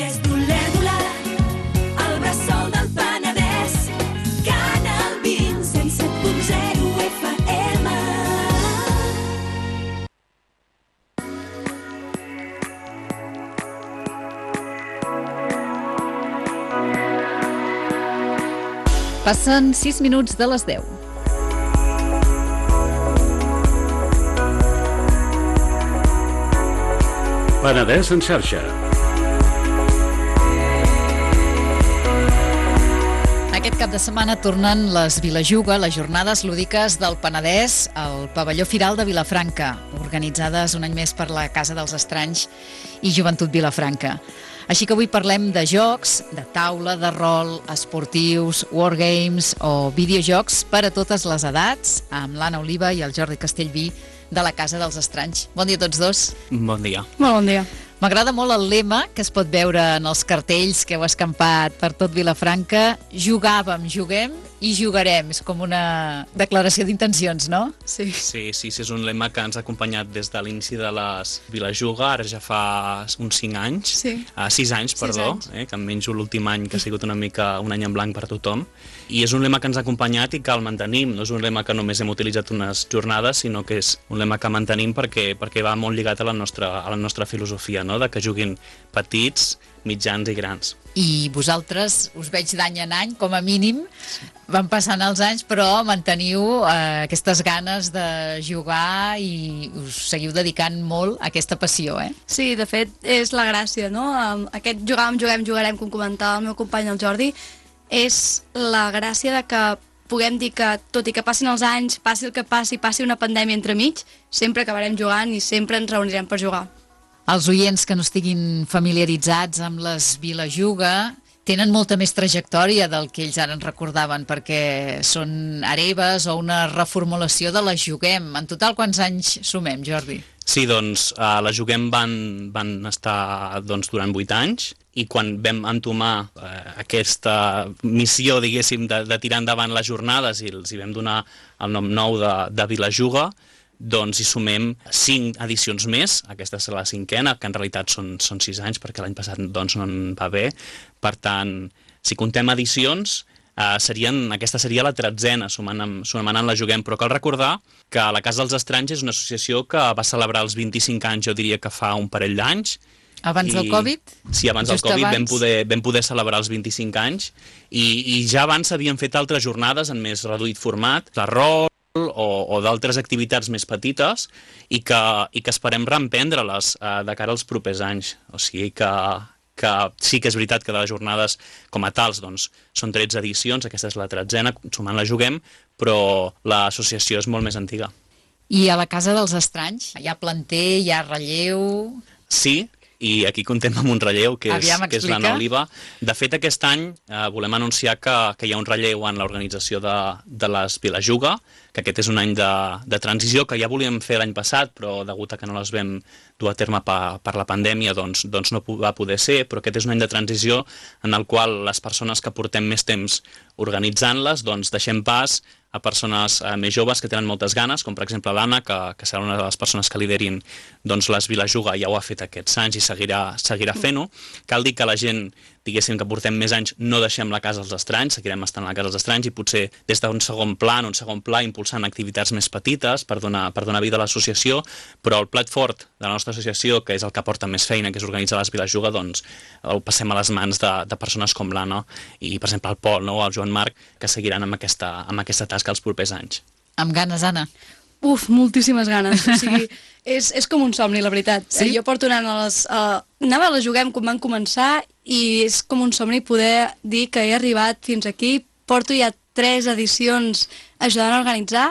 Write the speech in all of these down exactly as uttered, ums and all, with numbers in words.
Des d'Olèrdola, al bressol del Penedès, Canal vint, cent set punt zero F M. Passen sis minuts de les deu. Penedès en xarxa. Aquest cap de setmana tornen les Vilajuga, les jornades lúdiques del Penedès, al pavelló Firal de Vilafranca, organitzades un any més per la Casa dels Estranys i Joventut Vilafranca. Així que avui parlem de jocs, de taula, de rol, esportius, wargames o videojocs per a totes les edats, amb l'Anna Oliva i el Jordi Castellví de la Casa dels Estranys. Bon dia a tots dos. Bon dia. Molt bon dia. M'agrada molt el lema que es pot veure en els cartells que heu escampat per tot Vilafranca. Jugàvem, juguem i jugarem. És com una declaració d'intencions, no? Sí. Sí, sí, sí, és un lema que ens ha acompanyat des de l'inici de les Vilajuga, ara ja fa uns cinc anys. Sí. Uh, sis anys, Sis perdó, anys. Eh, que em menjo l'últim any, que ha sigut una mica un any en blanc per tothom. I és un lema que ens ha acompanyat i que el mantenim. No és un lema que només hem utilitzat unes jornades, sinó que és un lema que mantenim perquè, perquè va molt lligat a la nostra, a la nostra filosofia, no? De que juguin petits, mitjans i grans. I vosaltres us veig d'any en any, com a mínim, van passant els anys, però manteniu eh, aquestes ganes de jugar i us seguiu dedicant molt a aquesta passió, eh? Sí, de fet, és la gràcia, no? Um, Aquest jugàvem, juguem, jugarem, com comentava el meu company, el Jordi, és la gràcia de que puguem dir que, tot i que passin els anys, passi el que passi, passi una pandèmia entremig, sempre acabarem jugant i sempre ens reunirem per jugar. Els oients que no estiguin familiaritzats amb les Vilajuga tenen molta més trajectòria del que ells ara ens recordaven, perquè són hereves o una reformulació de les Juguem. En total, quants anys sumem, Jordi? Sí, doncs, uh, la Juguem van, van estar doncs, durant vuit anys i quan vam entomar uh, aquesta missió, diguéssim, de, de tirar endavant les jornades i els hi vam donar el nom nou de, de Vilajuga, doncs hi sumem cinc edicions més, aquesta és la cinquena, que en realitat són, són sis anys, perquè l'any passat doncs, no en va bé. Per tant, si contem edicions, eh, serien, aquesta seria la tretzena, sumant amb, sumant amb la Juguem, però cal recordar que la Casa dels Estranys és una associació que va celebrar els vint-i-cinc anys, jo diria que fa un parell d'anys. Abans I, del Covid? Sí, abans del Just Covid abans. vam poder, vam poder celebrar els vint-i-cinc anys i, i ja abans s'havien fet altres jornades en més reduït format, de rol, o, o d'altres activitats més petites i que, i que esperem reemprendre-les eh, de cara als propers anys. O sigui que, que sí que és veritat que de les jornades com a tals doncs, són tretze edicions, aquesta és la tretzena, sumant la Juguem, però l'associació és molt més antiga. I a la Casa dels Estranys hi ha planter, hi ha relleu... Sí, i aquí contem amb un relleu, que és, Aviam, que és explica. l'Anna Oliva. De fet, aquest any eh, volem anunciar que, que hi ha un relleu en l'organització de, de les Vilajuga, que aquest és un any de, de transició que ja volíem fer l'any passat, però degut a que no les vam dur a terme per, per la pandèmia, doncs, doncs no va poder ser, però aquest és un any de transició en el qual les persones que portem més temps organitzant-les, doncs deixem pas a persones eh, més joves que tenen moltes ganes, com per exemple l'Anna, que, que serà una de les persones que liderin doncs, les Vilajuga, ja ho ha fet aquests anys i seguirà, seguirà fent-ho. Cal dir que la gent, diguéssim que portem més anys, no deixem la Casa dels Estranys, seguirem estant a la Casa dels Estranys i potser des d'un segon pla, en un segon pla, impulsant activitats més petites per donar, per donar vida a l'associació, però el plat fort de la nostra associació, que és el que porta més feina, que és organitzar les Vilajuga, doncs el passem a les mans de, de persones com l'Anna i, per exemple, el Pol, no? O el Joan Marc, que seguiran amb aquesta, amb aquesta tasca els propers anys. Amb ganes, Anna? Uf, moltíssimes ganes. O sigui, és, és com un somni, la veritat. Sí? Eh, jo porto anant a les... Uh, anava a la Juguem quan van començar i és com un somni poder dir que he arribat fins aquí. Porto ja tres edicions ajudant a organitzar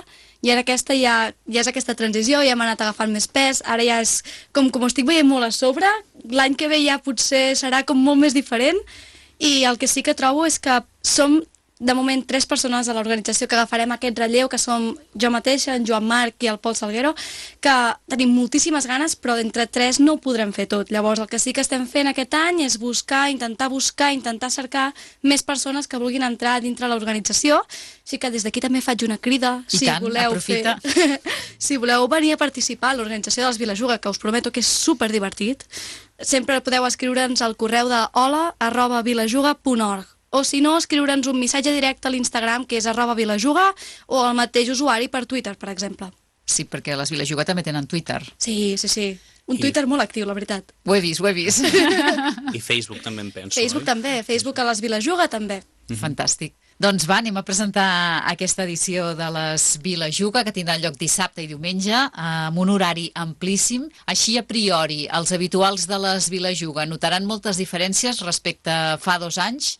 i ara aquesta ja, ja és aquesta transició, ja hem anat agafant més pes, ara ja és com, com ho estic veient molt a sobre, l'any que ve ja potser serà com molt més diferent i el que sí que trobo és que som de moment tres persones a l'organització que agafarem aquest relleu, que som jo mateixa, en Joan Marc i el Pol Salguero, que tenim moltíssimes ganes, però d'entre tres no ho podrem fer tot. Llavors el que sí que estem fent aquest any és buscar, intentar buscar, intentar cercar més persones que vulguin entrar dintre l'organització. Així que des d'aquí també faig una crida. I si tant, voleu aprofita. Fer... si voleu venir a participar a l'organització de les Vilajuga, que us prometo que és superdivertit, sempre podeu escriure'ns al correu de hola arroba vilajuga punt org. O si no, escriure'ns un missatge directe a l'Instagram, que és arroba vilajuga, o el mateix usuari per Twitter, per exemple. Sí, perquè les Vilajuga també tenen Twitter. Sí, sí, sí. Un I- Twitter molt actiu, la veritat. Ho he vist, ho he vist. I Facebook també em penso. Facebook oi? també, Facebook a les Vilajuga també. Fantàstic. Doncs va, anem a presentar aquesta edició de les Vilajuga, que tindrà lloc dissabte i diumenge, amb un horari amplíssim. Així, a priori, els habituals de les Vilajuga notaran moltes diferències respecte a fa dos anys,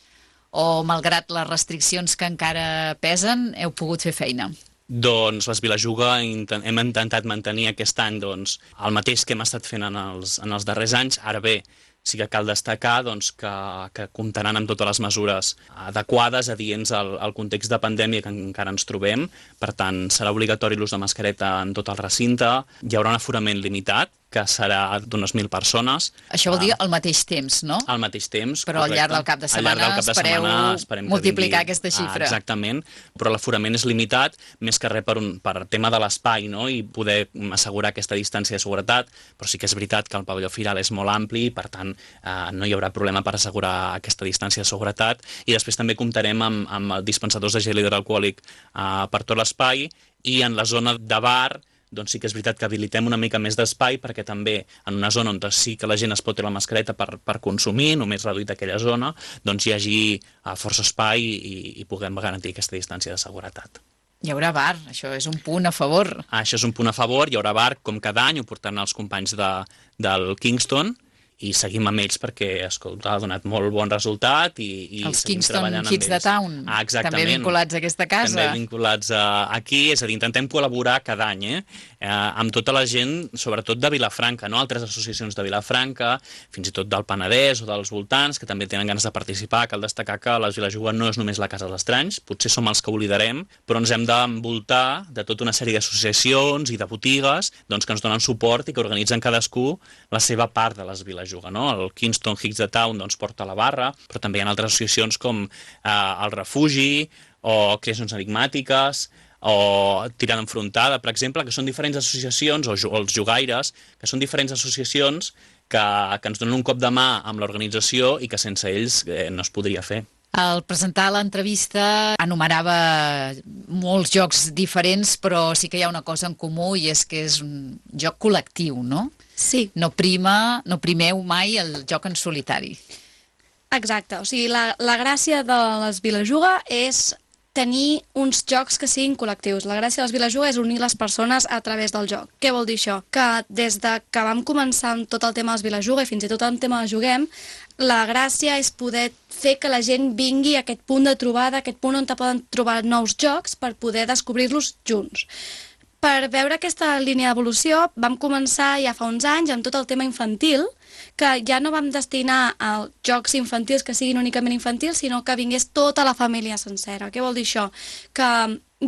o, malgrat les restriccions que encara pesen, heu pogut fer feina? Doncs les Vilajuga inten- hem intentat mantenir aquest any doncs, el mateix que hem estat fent en els, en els darrers anys. Ara bé, sí que cal destacar doncs, que, que comptaran amb totes les mesures adequades, adients al, al context de pandèmia que encara ens trobem. Per tant, serà obligatori l'ús de mascareta en tot el recinte. Hi haurà un aforament limitat, que serà d'unes mil persones. Això vol dir al mateix temps, no? Al mateix temps, Però al llarg del cap de Al llarg del setmana cap de espereu setmana esperem que multiplicar vingui- aquesta xifra. Ah, exactament, però l'aforament és limitat, més que res per, un, per tema de l'espai, no? I poder assegurar aquesta distància de seguretat, però sí que és veritat que el pavelló firal és molt ampli i, per tant, eh, no hi haurà problema per assegurar aquesta distància de seguretat. I després també comptarem amb, amb dispensadors de gel hidroalcohòlic eh, per tot l'espai, i en la zona de bar doncs sí que és veritat que habilitem una mica més d'espai, perquè també en una zona on sí que la gent es pot treure la mascareta per, per consumir, només reduït aquella zona, doncs hi hagi uh, força espai i, i puguem garantir aquesta distància de seguretat. Hi haurà bar, això és un punt a favor. Ah, això és un punt a favor, hi haurà bar com cada any, ho portaran els companys de, del Kingston, i seguim amb ells perquè, escolta, ha donat molt bon resultat i, i Els seguim Kingston treballant amb Kids de ells. Town, Ah, exactament. també vinculats a aquesta casa. També vinculats a, aquí, és a dir, intentem col·laborar cada any, eh? Eh, amb tota la gent, sobretot de Vilafranca, no? Altres associacions de Vilafranca, fins i tot del Penedès o dels voltants, que també tenen ganes de participar. Cal destacar que les Vilajuga no és només la Casa dels Estranys, potser som els que oblidarem, però ens hem d'envoltar de tota una sèrie d'associacions i de botigues doncs, que ens donen suport i que organitzen cadascú la seva part de les Vilajuga. No? El Kingston Kids de Town doncs, porta la barra, però també hi ha altres associacions com eh, el Refugi o Creacions Enigmàtiques o Tirada Enfrontada, per exemple, que són diferents associacions, o, o els Jugaires, que són diferents associacions que, que ens donen un cop de mà amb l'organització i que sense ells eh, no es podria fer. Al presentar l'entrevista enumerava molts jocs diferents, però sí que hi ha una cosa en comú i és que és un joc col·lectiu, no? Sí, No prima, no primeu mai el joc en solitari. exacte. O sigui, la, la gràcia de les Vilajuga és tenir uns jocs que siguin col·lectius. La gràcia de les Vilajuga és unir les persones a través del joc. Què vol dir això? Que des de que vam començar amb tot el tema de les Vilajuga i fins i tot el tema de Juguem, la gràcia és poder fer que la gent vingui a aquest punt de trobada, aquest punt on te poden trobar nous jocs per poder descobrir-los junts. Per veure aquesta línia d'evolució vam començar ja fa uns anys amb tot el tema infantil, que ja no vam destinar a jocs infantils que siguin únicament infantils, sinó que vingués tota la família sencera. Què vol dir això? Que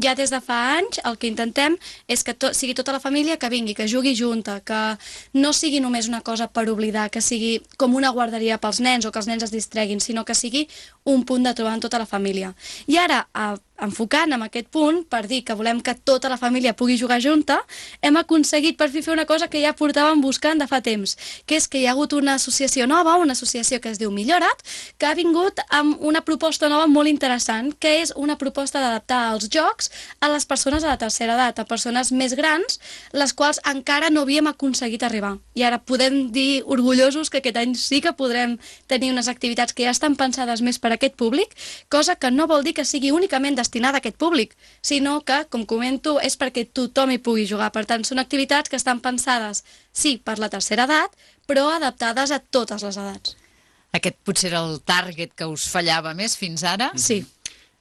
ja des de fa anys el que intentem és que to sigui tota la família que vingui, que jugui junta, que no sigui només una cosa per oblidar, que sigui com una guarderia pels nens o que els nens es distreguin, sinó que sigui un punt de trobar en tota la família. I ara, a, enfocant en aquest punt, per dir que volem que tota la família pugui jugar junta, hem aconseguit per fi fer una cosa que ja portàvem buscant de fa temps, que és que hi ha hagut una associació nova, una associació que es diu Millora't, que ha vingut amb una proposta nova molt interessant, que és una proposta d'adaptar els jocs a les persones a la tercera edat, a persones més grans, les quals encara no havíem aconseguit arribar. I ara podem dir orgullosos que aquest any sí que podrem tenir unes activitats que ja estan pensades més per a aquest públic, cosa que no vol dir que sigui únicament destinada a aquest públic, sinó que, com comento, és perquè tothom hi pugui jugar. Per tant, són activitats que estan pensades, sí, per la tercera edat, però adaptades a totes les edats. Aquest potser era el target que us fallava més fins ara? Sí.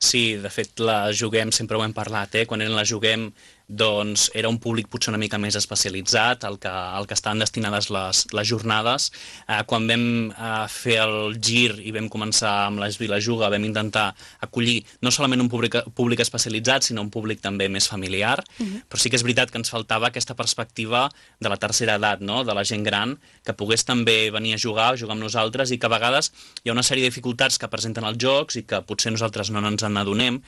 Sí, de fet, la Juguem, sempre ho hem parlat, eh? Quan eren la Juguem, doncs era un públic potser una mica més especialitzat, al que, al que estaven destinades les, les jornades. Eh, quan vam eh, fer el gir i vam començar amb les Vilajuga, vam intentar acollir no solament un públic, públic especialitzat, sinó un públic també més familiar, uh-huh. Però sí que és veritat que ens faltava aquesta perspectiva de la tercera edat, no? De la gent gran, que pogués també venir a jugar, jugar amb nosaltres, i que a vegades hi ha una sèrie de dificultats que presenten els jocs i que potser nosaltres no ens en adonem,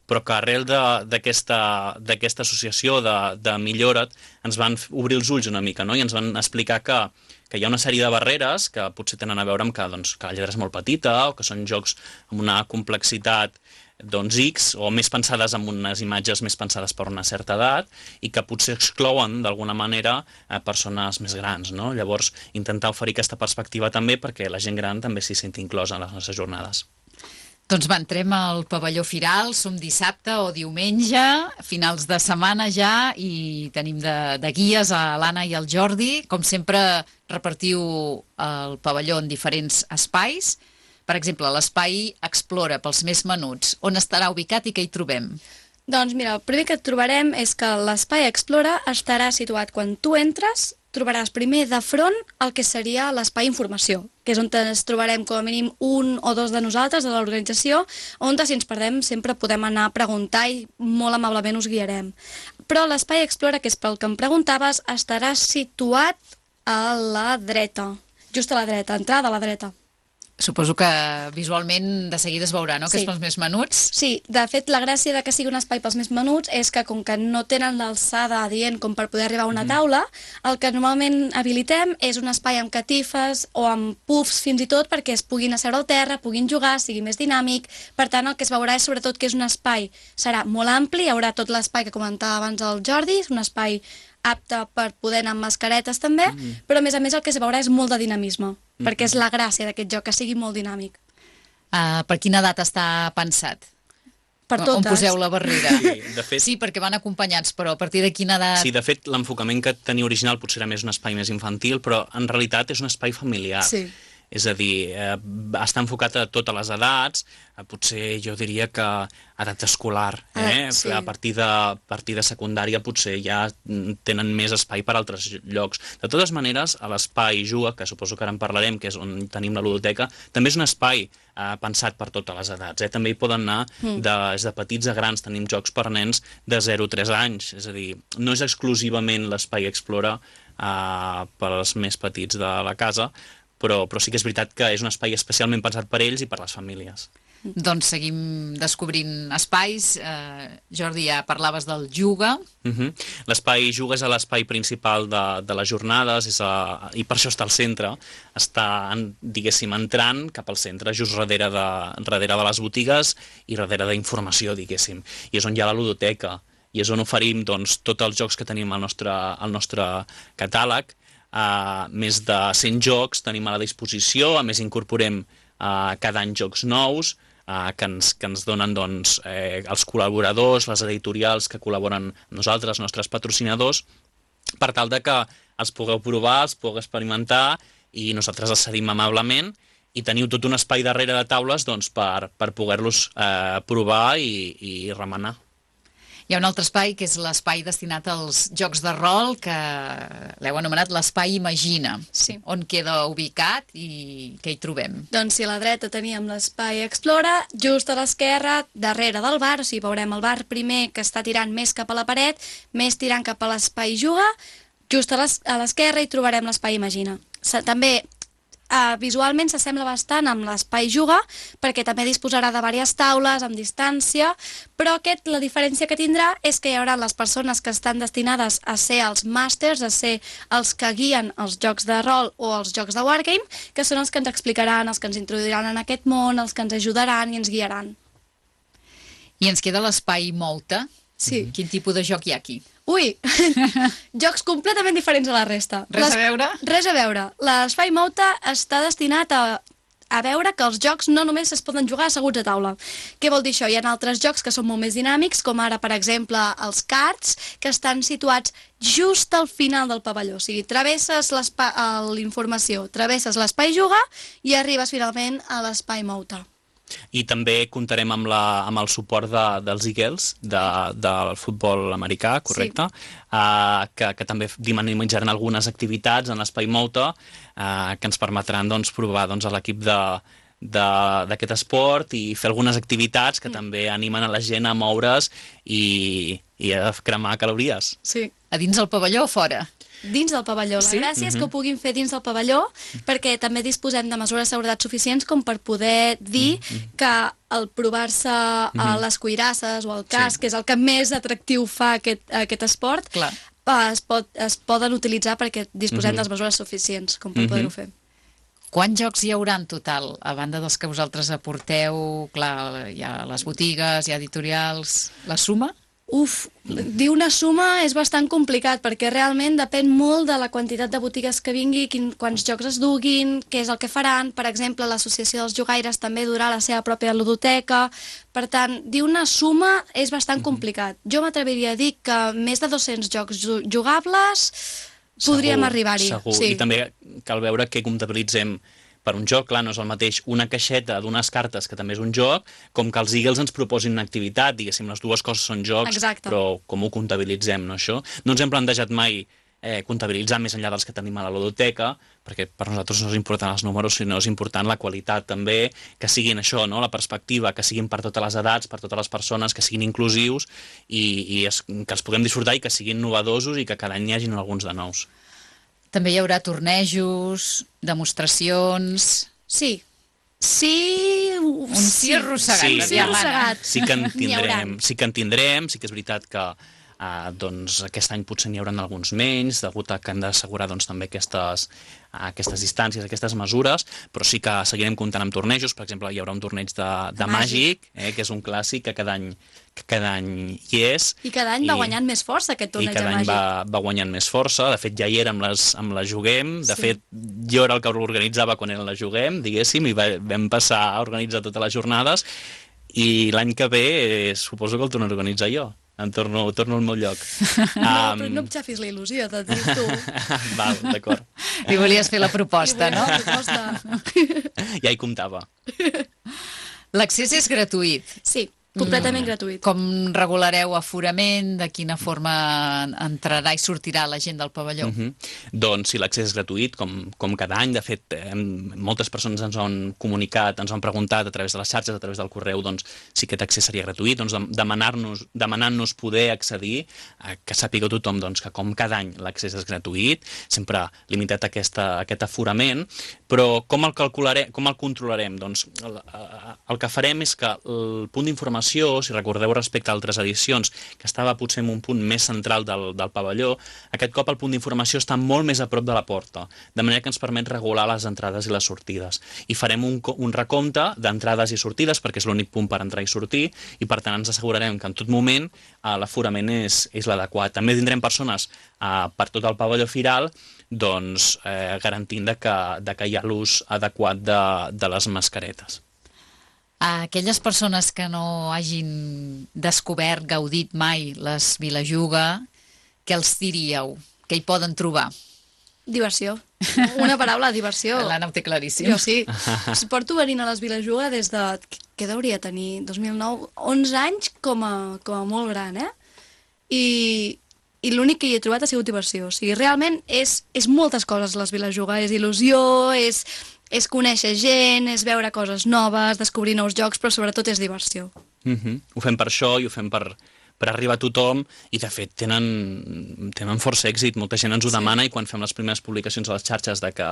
però que arrel d'aquesta associació de, de Millora't ens van obrir els ulls una mica, no? I ens van explicar que, que hi ha una sèrie de barreres que potser tenen a veure amb que, doncs, que la lletra és molt petita o que són jocs amb una complexitat doncs X, o més pensades amb unes imatges més pensades per una certa edat i que potser exclouen d'alguna manera a persones més grans, no? Llavors, intentar oferir aquesta perspectiva també perquè la gent gran també s'hi senti inclosa en les nostres jornades. Doncs va, entrem al pavelló Firal, som dissabte o diumenge, finals de setmana ja, i tenim de, de guies a l'Anna i al Jordi. Com sempre, repartiu el pavelló en diferents espais. Per exemple, l'espai Explora, pels més menuts. On estarà ubicat i què hi trobem? Doncs mira, el primer que et trobarem és que l'espai Explora estarà situat quan tu entres, trobaràs primer de front el que seria l'espai Informació, que és on ens trobarem com a mínim un o dos de nosaltres, de l'organització, on si ens perdem sempre podem anar a preguntar i molt amablement us guiarem. Però l'espai Explora, que és pel que em preguntaves, estarà situat a la dreta, just a la dreta, entrada a la dreta. Suposo que visualment de seguida es veurà, no?, que Sí. és pels més menuts. Sí, de fet, la gràcia de que sigui un espai pels més menuts és que, com que no tenen l'alçada adient com per poder arribar a una taula, el que normalment habilitem és un espai amb catifes o amb puffs fins i tot perquè es puguin asseure al terra, puguin jugar, sigui més dinàmic. Per tant, el que es veurà és sobretot que és un espai, serà molt ampli, hi haurà tot l'espai que comentava abans el Jordi, és un espai apte per poder anar amb mascaretes també, mm. però a més a més el que es veurà és molt de dinamisme, mm. perquè és la gràcia d'aquest joc, que sigui molt dinàmic. Uh, per quina edat està pensat? Per On totes. poseu la barrera? Sí, de fet- sí, perquè van acompanyats, però a partir de quina edat... Sí, de fet, l'enfocament que tenia original potser era més un espai més infantil, però en realitat és un espai familiar. Sí. És a dir, eh, està enfocat a totes les edats, eh, potser jo diria que edat escolar, eh? Ah, sí. A partir de, a partir de secundària potser ja tenen més espai per altres llocs. De totes maneres, a l'espai Juga, que suposo que ara en parlarem, que és on tenim la ludoteca, també és un espai eh, pensat per totes les edats. Eh? També hi poden anar mm. de, des de petits a grans, tenim jocs per nens de zero a tres anys, és a dir, no és exclusivament l'espai Explora eh, per als més petits de la casa, però, però sí que és veritat que és un espai especialment pensat per ells i per les famílies. Doncs seguim descobrint espais. Eh, Jordi, ja parlaves del Juga. Uh -huh. L'espai Juga és l'espai principal de, de les jornades és a, i per això està al centre. Està, en, diguéssim, entrant cap al centre, just darrere de, darrere de les botigues i darrere d'informació, diguéssim. I és on hi ha la ludoteca i és on oferim doncs, tots els jocs que tenim al nostre, al nostre catàleg. Uh, més de cent jocs tenim a la disposició, a més incorporem uh, cada any jocs nous uh, que, ens, que ens donen doncs, eh, els col·laboradors, les editorials que col·laboren amb nosaltres, els nostres patrocinadors, per tal de que els pugueu provar, els pugueu experimentar i nosaltres els cedim amablement i teniu tot un espai darrere de taules doncs, per, per poder-los eh, provar i, i remenar. Hi ha un altre espai que és l'espai destinat als jocs de rol, que l'heu anomenat l'espai Imagina. Sí. On queda ubicat i què hi trobem? Doncs si a la dreta teníem l'espai Explora, just a l'esquerra, darrere del bar, o sigui, veurem el bar primer que està tirant més cap a la paret, més tirant cap a l'espai Juga, just a l'esquerra hi trobarem l'espai Imagina. També Uh, visualment s'assembla bastant amb l'espai Juga, perquè també disposarà de diverses taules amb distància, però aquest, la diferència que tindrà és que hi haurà les persones que estan destinades a ser els màsters, a ser els que guien els jocs de rol o els jocs de wargame, que són els que ens explicaran, els que ens introduiran en aquest món, els que ens ajudaran i ens guiaran. I ens queda l'espai Molta. Sí. Quin tipus de joc hi ha aquí? Ui, jocs completament diferents a la resta. Res Les... a veure? Res a veure. L'espai Mouta està destinat a, a veure que els jocs no només es poden jugar asseguts a taula. Què vol dir això? Hi ha altres jocs que són molt més dinàmics, com ara, per exemple, els cards, que estan situats just al final del pavelló. O sigui, travesses l'informació, travesses l'espai Juga i arribes finalment a l'espai Mouta. I també comptarem amb, la, amb el suport de, dels Eagles, de, del futbol americà, correcte? Sí. Uh, que, que també dinamitzaran algunes activitats en l'espai Mouta uh, que ens permetran doncs, provar doncs, a l'equip de d'aquest esport i fer algunes activitats que mm. també animen a la gent a moure's i, i a cremar calories. Sí. A dins del pavelló o fora? Dins del pavelló. La Sí? gràcia és que ho puguin fer dins del pavelló perquè també disposem de mesures de seguretat suficients com per poder dir que el provar-se a les cuirasses o al casc, Sí. que és el que més atractiu fa aquest, aquest esport, Clar. uh, es, pot, es poden utilitzar perquè disposem Mhm. de les mesures suficients com per Mhm. poder-ho fer. Quants jocs hi haurà en total, a banda dels que vosaltres aporteu? Clar, hi ha les botigues, hi ha editorials... La suma? Uf, dir una suma és bastant complicat perquè realment depèn molt de la quantitat de botigues que vingui, quin, quants jocs es duguin, què és el que faran. Per exemple, l'Associació dels Jugaires també durà la seva pròpia ludoteca. Per tant, dir una suma és bastant complicat. Jo m'atreviria a dir que més de dos-cents jocs ju- jugables podríem Segur, arribar-hi. Segur, Sí. i també cal veure què comptabilitzem per un joc. Clar, no és el mateix una caixeta d'unes cartes, que també és un joc, com que els Eagles ens proposin una activitat, diguéssim, les dues coses són jocs, Exacte. però com ho comptabilitzem, no, això? No ens hem plantejat mai eh, comptabilitzar més enllà dels que tenim a la ludoteca, perquè per nosaltres no és important els números, sinó és important la qualitat també, que siguin això, no? La perspectiva, que siguin per totes les edats, per totes les persones, que siguin inclusius i, i es, que els puguem disfrutar i que siguin novedosos i que cada any hi hagin alguns de nous. També hi haurà tornejos, demostracions... Sí. Sí... Un sí arrossegat, Sí, la sí diamana. arrossegat. Sí que en N'hi haurà. tindrem, sí que en tindrem, sí que és veritat que uh, doncs, aquest any potser n'hi haurà alguns menys, degut a que hem d'assegurar doncs, també aquestes, uh, aquestes distàncies, aquestes mesures, però sí que seguirem comptant amb tornejos. Per exemple, hi haurà un torneig de, de màgic, eh, que és un clàssic que cada any, que cada any hi és. I cada any va guanyant més força aquest I torneig de cada any màgic. va, va guanyant més força. De fet, ja hi era amb les, amb les Juguem. De Sí. fet, jo era el que l'organitzava quan era la Juguem, diguéssim, i va, vam passar a organitzar totes les jornades. I l'any que ve eh, suposo que el torno a organitzar jo. Em torno, torno al meu lloc. No, però no em xafis la il·lusió, t'ho dic tu. Val, d'acord. Li volies fer la proposta, I no? vull la proposta. Ja hi comptava. L'accés és gratuït. Sí, completament gratuït. Com regulareu aforament? De quina forma entrarà i sortirà la gent del pavelló? Uh -huh. Doncs sí, l'accés és gratuït, com, com cada any. De fet, eh, moltes persones ens ho han comunicat, ens ho han preguntat a través de les xarxes, a través del correu, doncs si aquest accés seria gratuït, doncs demanar-nos, demanant-nos poder accedir, a que sàpiga tothom doncs, que com cada any l'accés és gratuït, sempre limitat a, aquesta, a aquest aforament, però com el calcularem, com el controlarem? Doncs el, el que farem és que el punt d'informació, si recordeu respecte a altres edicions, que estava potser en un punt més central del, del pavelló, aquest cop el punt d'informació està molt més a prop de la porta, de manera que ens permet regular les entrades i les sortides. I farem un, un recompte d'entrades i sortides, perquè és l'únic punt per entrar i sortir, i per tant ens assegurarem que en tot moment eh, l'aforament és, és l'adequat. També tindrem persones eh, per tot el pavelló firal, doncs eh, garantint de que, de que hi ha l'ús adequat de, de les mascaretes. A aquelles persones que no hagin descobert, gaudit mai les Vilajuga, què els diríeu? Què hi poden trobar? Diversió. Una paraula, diversió. L'Anna ho té claríssim. Jo sí. Porto venint a les Vilajuga des de... Què hauria tenir? dos mil nou? onze anys com a, com a molt gran, eh? I, i l'únic que hi he trobat ha sigut diversió. O sigui, realment és, és moltes coses les Vilajuga. És il·lusió, és, és conèixer gent, és veure coses noves, descobrir nous jocs, però sobretot és diversió. Uh-huh. Ho fem per això i ho fem per, per arribar a tothom i de fet tenen, tenen força èxit, molta gent ens ho demana i quan fem les primeres publicacions a les xarxes de, que,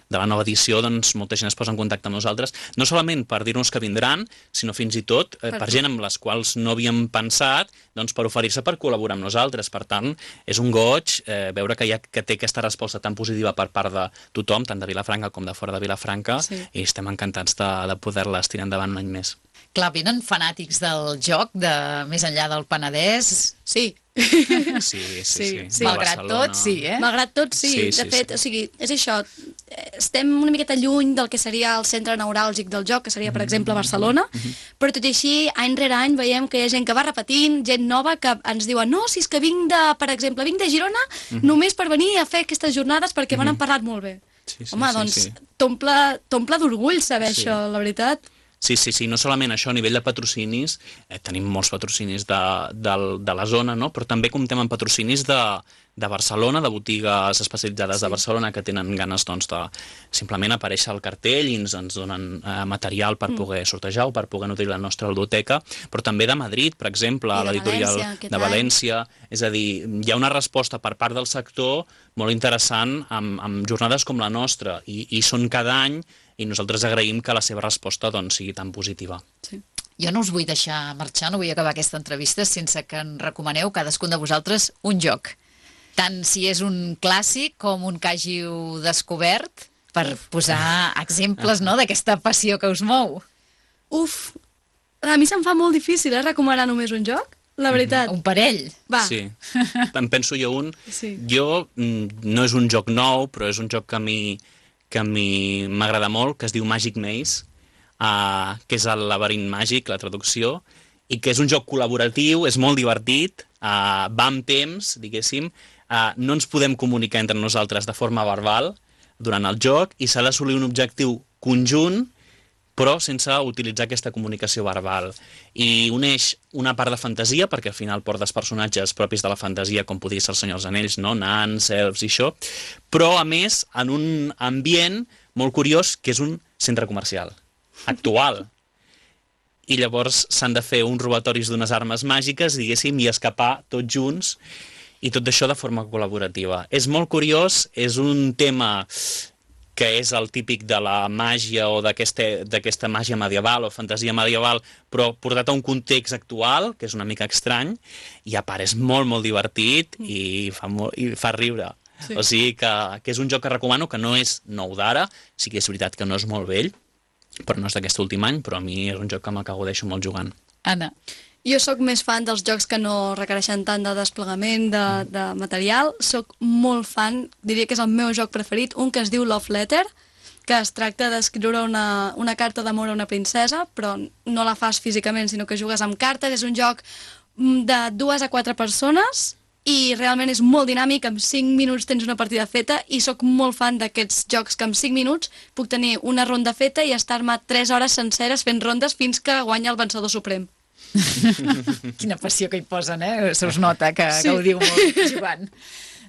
de la nova edició, doncs molta gent es posa en contacte amb nosaltres, no solament per dir-nos que vindran, sinó fins i tot eh, per gent amb les quals no havíem pensat, doncs per oferir-se per col·laborar amb nosaltres. Per tant, és un goig eh, veure que, hi ha, que té aquesta resposta tan positiva per part de tothom, tant de Vilafranca com de fora de Vilafranca, Sí. i estem encantats de, de poder-les tirar endavant un any més. Clar, venen fanàtics del joc, de més enllà del Penedès. Sí. Sí, sí, sí. Sí, De Malgrat Barcelona. tot, sí, eh? Malgrat tot, sí. Sí, De sí, fet, sí. o sigui, és això. Estem una miqueta lluny del que seria el centre neuràlgic del joc, que seria, per exemple, Barcelona, però tot i així, any rere any, veiem que hi ha gent que va repetint, gent nova que ens diuen no, si és que vinc de, per exemple, vinc de Girona només per venir a fer aquestes jornades perquè me n'han parlat molt bé. Sí, sí, Home, sí, doncs sí. t'omple d'orgull saber Sí. això, la veritat. Sí, sí, sí, no solament això, a nivell de patrocinis, eh, tenim molts patrocinis de, de, de la zona, no? Però també comptem amb patrocinis de, de Barcelona, de botigues especialitzades sí. de Barcelona que tenen ganes doncs, de simplement aparèixer al cartell i ens, ens donen eh, material per mm. poder sortejar o per poder nodrir la nostra ludoteca, però també de Madrid, per exemple, I de l'editorial València, aquest de any. València. És a dir, hi ha una resposta per part del sector molt interessant amb, amb jornades com la nostra i, i són cada any i nosaltres agraïm que la seva resposta doncs, sigui tan positiva. Sí. Jo no us vull deixar marxar, no vull acabar aquesta entrevista sense que en recomaneu cadascun de vosaltres un joc. tant si és un clàssic com un que hàgiu descobert, per posar exemples, no?, d'aquesta passió que us mou. Uf, a mi se'm fa molt difícil, eh, recomanar només un joc, la veritat. Un parell. Va. Sí, em penso jo un. Sí. Jo, mm, no és un joc nou, però és un joc que a mi que a mi m'agrada molt, que es diu Magic Maze, uh, que és el laberint màgic, la traducció, i que és un joc col·laboratiu, és molt divertit, uh, va amb temps, diguéssim, uh, no ens podem comunicar entre nosaltres de forma verbal durant el joc i s'ha d'assolir un objectiu conjunt, però sense utilitzar aquesta comunicació verbal. I uneix una part de fantasia, perquè al final portes personatges propis de la fantasia, com podria ser el Senyor dels Anells, no? Nans, elfs i això, però a més en un ambient molt curiós, que és un centre comercial, actual. I llavors s'han de fer uns robatoris d'unes armes màgiques, diguéssim, i escapar tots junts, i tot això de forma col·laborativa. És molt curiós, és un tema que és el típic de la màgia o d'aquesta màgia medieval o fantasia medieval, però portat a un context actual, que és una mica estrany, i a part és molt, molt divertit i fa, molt, i fa riure. Sí. O sigui que, que és un joc que recomano, que no és nou d'ara, sí que és veritat que no és molt vell, però no és d'aquest últim any, però a mi és un joc que me'l gaudeixo molt jugant. Anna. Jo sóc més fan dels jocs que no requereixen tant de desplegament de, de material. Sóc molt fan, diria que és el meu joc preferit, un que es diu Love Letter, que es tracta d'escriure una, una carta d'amor a una princesa, però no la fas físicament, sinó que jugues amb cartes. És un joc de dues a quatre persones i realment és molt dinàmic, en cinc minuts tens una partida feta, i sóc molt fan d'aquests jocs que en cinc minuts puc tenir una ronda feta i estar-me tres hores senceres fent rondes fins que guanya el vencedor suprem. Quina passió que hi posen, eh? Se us nota que Sí. gaudiu molt jugant.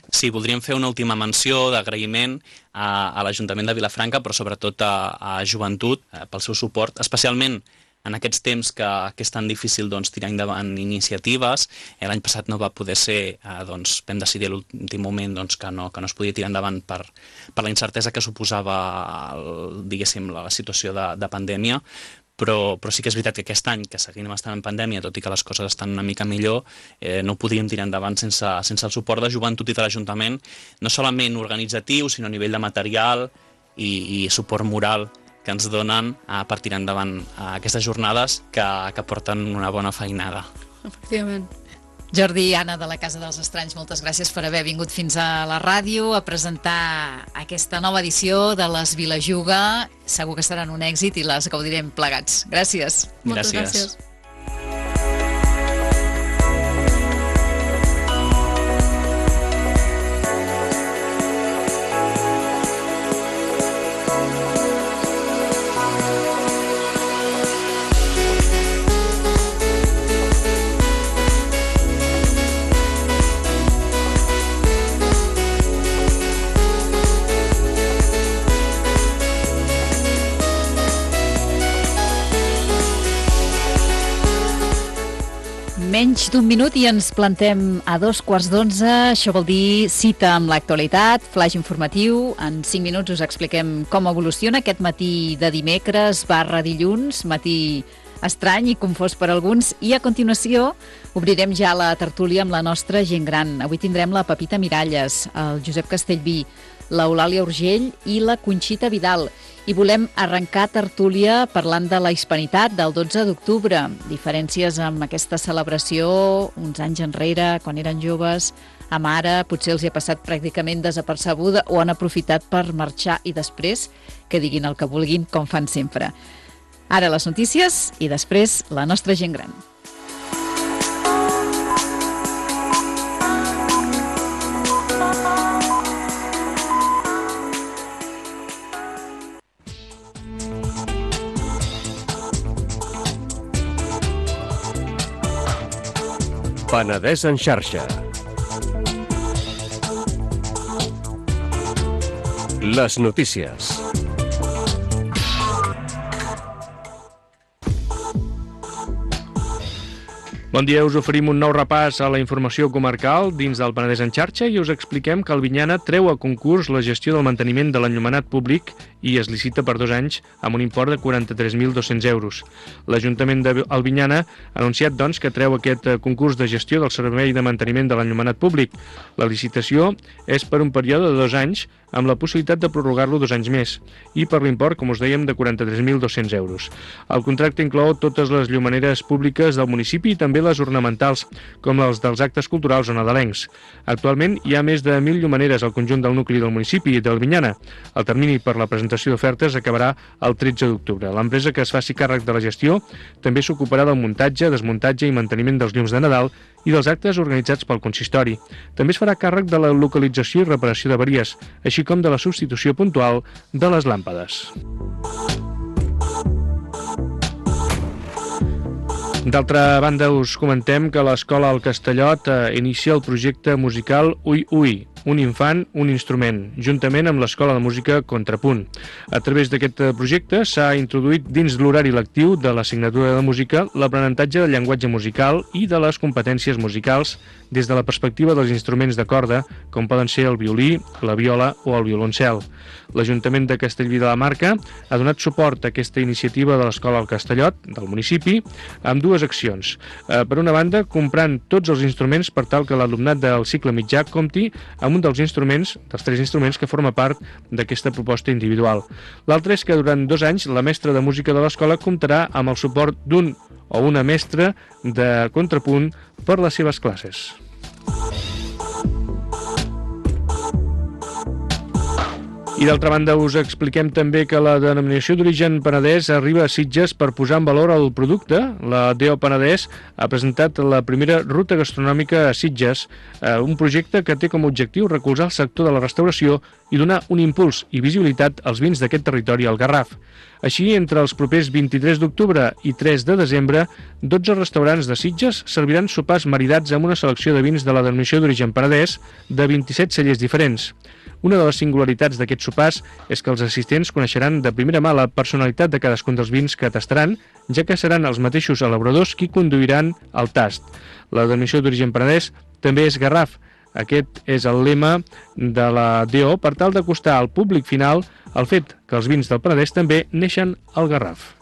Sí, voldríem fer una última menció d'agraïment a, a l'Ajuntament de Vilafranca, però sobretot a, a Joventut, eh, pel seu suport, especialment en aquests temps que, que és tan difícil doncs, tirar endavant iniciatives. Eh, L'any passat no va poder ser, eh, doncs, vam decidir a l'últim moment doncs, que, no, que no es podia tirar endavant per, per la incertesa que suposava el, diguéssim, la situació de, de pandèmia, Però, però sí que és veritat que aquest any, que seguim estant en pandèmia, tot i que les coses estan una mica millor, eh, no ho podríem tirar endavant sense, sense el suport de Joventut i de l'Ajuntament, no solament organitzatiu, sinó a nivell de material i, i suport moral que ens donen eh, per tirar endavant eh, aquestes jornades que, que porten una bona feinada. Efectivament. Jordi i Anna de la Casa dels Estranys, moltes gràcies per haver vingut fins a la ràdio a presentar aquesta nova edició de les Vilajuga. Segur que seran un èxit i les gaudirem plegats. Gràcies. Moltes Gràcies. gràcies. Menys d'un minut i ens plantem a dos quarts d'onze. Això vol dir cita amb l'actualitat, flash informatiu. En cinc minuts us expliquem com evoluciona aquest matí de dimecres barra dilluns, matí estrany i confós per alguns. I a continuació obrirem ja la tertúlia amb la nostra gent gran. Avui tindrem la Pepita Miralles, el Josep Castellví, l'Eulàlia Urgell i la Conxita Vidal. I volem arrencar tertúlia parlant de la hispanitat del dotze d'octubre. Diferències amb aquesta celebració uns anys enrere, quan eren joves, amb ara potser els hi ha passat pràcticament desapercebuda o han aprofitat per marxar i després que diguin el que vulguin, com fan sempre. Ara les notícies i després la nostra gent gran. Penedès en xarxa. Les notícies. Bon dia, us oferim un nou repàs a la informació comarcal dins del Penedès en xarxa i us expliquem que Albinyana treu a concurs la gestió del manteniment de l'enllumenat públic i es licita per dos anys amb un import de quaranta-tres mil dos-cents euros. L'Ajuntament d'Albinyana ha anunciat, doncs, que treu aquest concurs de gestió del servei de manteniment de l'enllumenat públic. La licitació és per un període de dos anys amb la possibilitat de prorrogar-lo dos anys més i per l'import, com us dèiem, de quaranta-tres mil dos-cents euros. El contracte inclou totes les llumeneres públiques del municipi i també les ornamentals, com les dels actes culturals o nadalencs. Actualment hi ha més de mil llumeneres al conjunt del nucli del municipi d'Albinyana. El termini per la presentació d'ofertes acabarà el tretze d'octubre. L'empresa que es faci càrrec de la gestió també s'ocuparà del muntatge, desmuntatge i manteniment dels llums de Nadal i dels actes organitzats pel consistori. També es farà càrrec de la localització i reparació d'averies, així com de la substitució puntual de les làmpades. D'altra banda, us comentem que l'Escola al Castellot eh, inicia el projecte musical Ui Ui, un infant, un instrument, juntament amb l'Escola de Música Contrapunt. A través d'aquest projecte s'ha introduït dins l'horari lectiu de l'assignatura de música l'aprenentatge del llenguatge musical i de les competències musicals des de la perspectiva dels instruments de corda, com poden ser el violí, la viola o el violoncel. L'Ajuntament de Castellví de la Marca ha donat suport a aquesta iniciativa de l'Escola al Castellot, del municipi, amb dues accions. Eh, per una banda, comprant tots els instruments per tal que l'alumnat del cicle mitjà compti amb un dels instruments, dels tres instruments que forma part d'aquesta proposta individual. L'altre és que durant dos anys la mestra de música de l'escola comptarà amb el suport d'un o una mestra de contrapunt per les seves classes. I d'altra banda us expliquem també que la denominació d'origen Penedès arriba a Sitges per posar en valor el producte. La D O Penedès ha presentat la primera ruta gastronòmica a Sitges, un projecte que té com a objectiu recolzar el sector de la restauració i donar un impuls i visibilitat als vins d'aquest territori al Garraf. Així, entre els propers vint-i-tres d'octubre i tres de desembre, dotze restaurants de Sitges serviran sopars maridats amb una selecció de vins de la denominació d'origen Penedès de vint-i-set cellers diferents. Una de les singularitats d'aquests sopars és que els assistents coneixeran de primera mà la personalitat de cadascun dels vins que tastaran, ja que seran els mateixos elaboradors qui conduiran el tast. La denominació d'origen Penedès també és Garraf. Aquest és el lema de la D O per tal d'acostar al públic final el fet que els vins del Penedès també neixen al Garraf.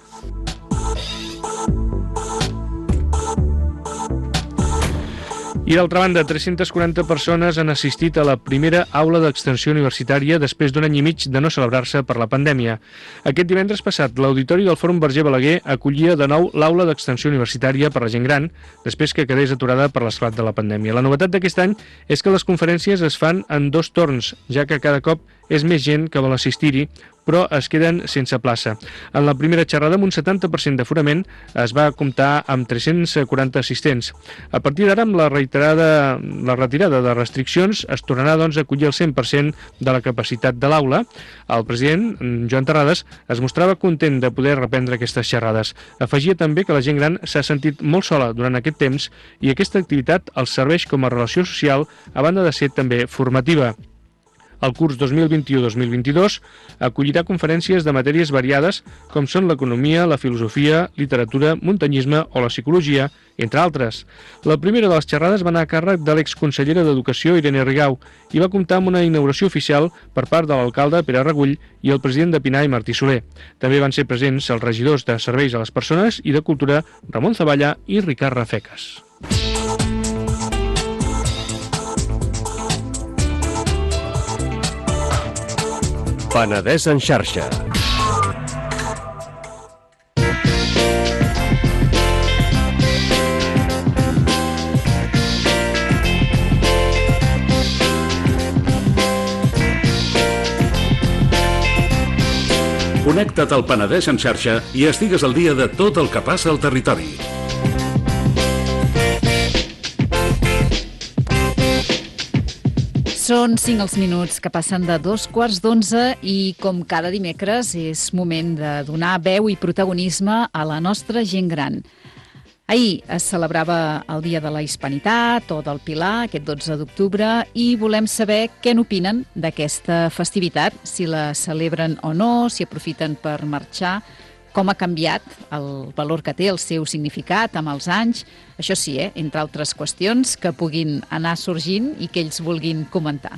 I d'altra banda, tres-centes quaranta persones han assistit a la primera aula d'extensió universitària després d'un any i mig de no celebrar-se per la pandèmia. Aquest divendres passat, l'Auditori del Fòrum Verger Balaguer acollia de nou l'aula d'extensió universitària per la gent gran, després que quedés aturada per l'esclat de la pandèmia. La novetat d'aquest any és que les conferències es fan en dos torns, ja que cada cop és més gent que vol assistir-hi, però es queden sense plaça. En la primera xerrada, amb un setanta per cent d'aforament, es va comptar amb tres-cents quaranta assistents. A partir d'ara, amb la reiterada la retirada de restriccions, es tornarà doncs, a acollir el cent per cent de la capacitat de l'aula. El president, Joan Terrades, es mostrava content de poder reprendre aquestes xerrades. Afegia també que la gent gran s'ha sentit molt sola durant aquest temps i aquesta activitat els serveix com a relació social, a banda de ser també formativa. El curs dos mil vint-i-u dos mil vint-i-dos acollirà conferències de matèries variades com són l'economia, la filosofia, literatura, muntanyisme o la psicologia, entre altres. La primera de les xerrades va anar a càrrec de l'exconsellera d'Educació, Irene Rigau, i va comptar amb una inauguració oficial per part de l'alcalde Pere Regull i el president de Pinai, Martí Soler. També van ser presents els regidors de Serveis a les Persones i de Cultura, Ramon Zavalla i Ricard Rafecas. Penedès en xarxa. Connecta't al Penedès en xarxa i estigues al dia de tot el que passa al territori. Són cinc els minuts que passen de dos quarts d'onze i, com cada dimecres, és moment de donar veu i protagonisme a la nostra gent gran. Ahir es celebrava el Dia de la Hispanitat o del Pilar, aquest dotze d'octubre, i volem saber què n'opinen d'aquesta festivitat, si la celebren o no, si aprofiten per marxar, com ha canviat el valor que té, el seu significat amb els anys. Això sí, eh, entre altres qüestions que puguin anar sorgint i que ells vulguin comentar.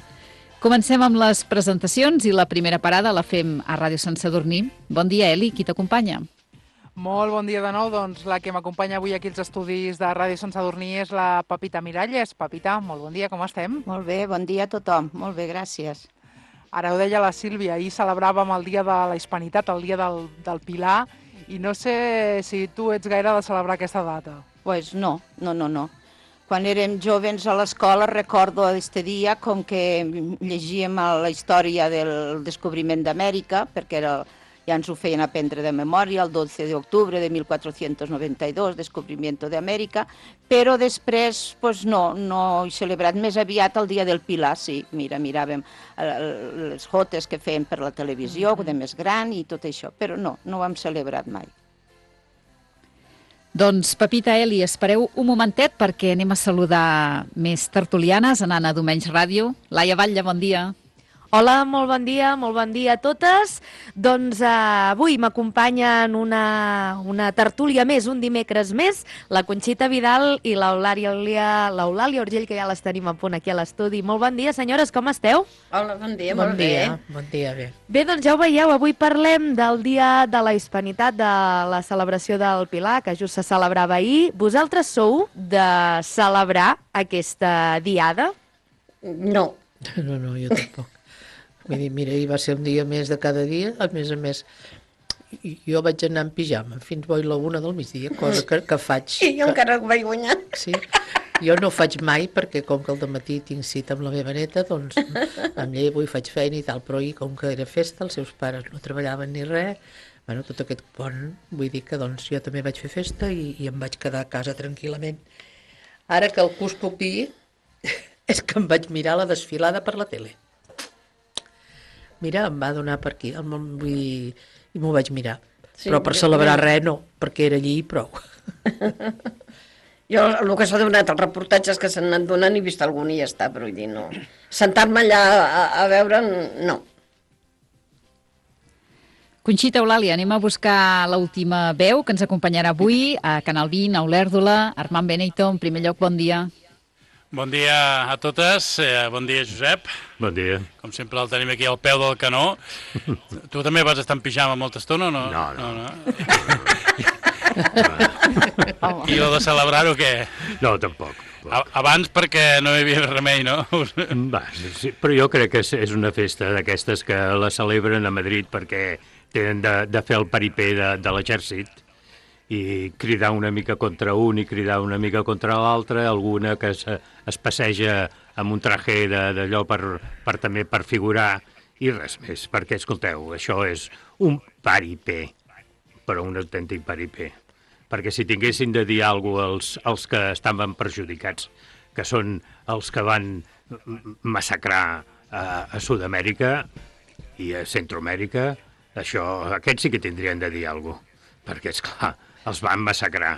Comencem amb les presentacions i la primera parada la fem a Ràdio Sant Sadurní. Bon dia, Eli, qui t'acompanya? Molt bon dia de nou. Doncs la que m'acompanya avui aquí als estudis de Ràdio Sant Sadurní és la Pepita Miralles. Pepita, molt bon dia, com estem? Molt bé, bon dia a tothom. Molt bé, gràcies. Ara ho deia la Sílvia, ahir celebràvem el dia de la Hispanitat, el dia del, del Pilar, i no sé si tu ets gaire de celebrar aquesta data. Pues no, no, no, no. Quan érem jovens a l'escola recordo aquest dia com que llegíem la història del descobriment d'Amèrica, perquè era, ja ens ho feien aprendre de memòria, el dotze d'octubre de mil quatre-cents noranta-dos, descobrimiento d'Amèrica, però després pues no, no he celebrat més aviat el dia del Pilar, sí, mira, miràvem les jotes que feien per la televisió, de més gran i tot això, però no, no ho hem celebrat mai. Doncs, Pepita, Eli, espereu un momentet perquè anem a saludar més tertulianes anant a Domenys Ràdio. Laia Batlle, bon dia. Hola, molt bon dia, molt bon dia a totes. Doncs eh, avui m'acompanyen una, una tertúlia més, un dimecres més, la Conxita Vidal i l'Eulàlia Urgell, que ja les tenim a punt aquí a l'estudi. Molt bon dia, senyores, com esteu? Hola, bon dia, bon molt dia. bé. Bon dia, bé. Bé, doncs ja ho veieu, avui parlem del Dia de la Hispanitat, de la celebració del Pilar, que just se celebrava ahir. Vosaltres sou de celebrar aquesta diada? No. No, no, jo tampoc. Vull dir, mira, ahir va ser un dia més de cada dia, a més a més, jo vaig anar en pijama fins bo i la una del migdia, cosa que, que faig. I jo que... encara ho vaig guanyar. Sí, jo no ho faig mai perquè com que al dematí tinc cita amb la meva neta, doncs em llevo i faig feina i tal, però ahir com que era festa, els seus pares no treballaven ni res, bueno, tot aquest pont, vull dir que doncs jo també vaig fer festa i, i em vaig quedar a casa tranquil·lament. Ara que el que us puc dir és que em vaig mirar la desfilada per la tele. Mira, em va donar per aquí, vull dir, i m'ho vaig mirar. Sí, però per celebrar jo... res no, perquè era allí i prou. Jo el que s'ha donat, els reportatges que s'han anat donant, he vist algun i ja està, però vull dir, no. Sentar-me allà a, a veure, no. Conxita, Eulàlia, anem a buscar l'última veu que ens acompanyarà avui a Canal vint, a Olèrdola. Armand Benito, en primer lloc, bon dia. Bon dia a totes, eh, bon dia Josep. Bon dia. Com sempre el tenim aquí al peu del canó. Tu també vas estar en pijama molta estona o no? No, no. no, no. I lo de celebrar-ho què? No, tampoc. tampoc. Abans perquè no hi havia remei, no? Va, sí, però jo crec que és una festa d'aquestes que la celebren a Madrid perquè tenen de, de fer el paripé de, de l'exèrcit i cridar una mica contra un i cridar una mica contra l'altre, alguna que es, es passeja amb un traje d'allò per, per també per figurar i res més, perquè escolteu, això és un paripé, però un autèntic paripé, perquè si tinguessin de dir alguna cosa als, als que estaven perjudicats, que són els que van massacrar a, a Sud-amèrica i a Centroamèrica, això, aquests sí que tindrien de dir alguna cosa, perquè, esclar, els van massacrar.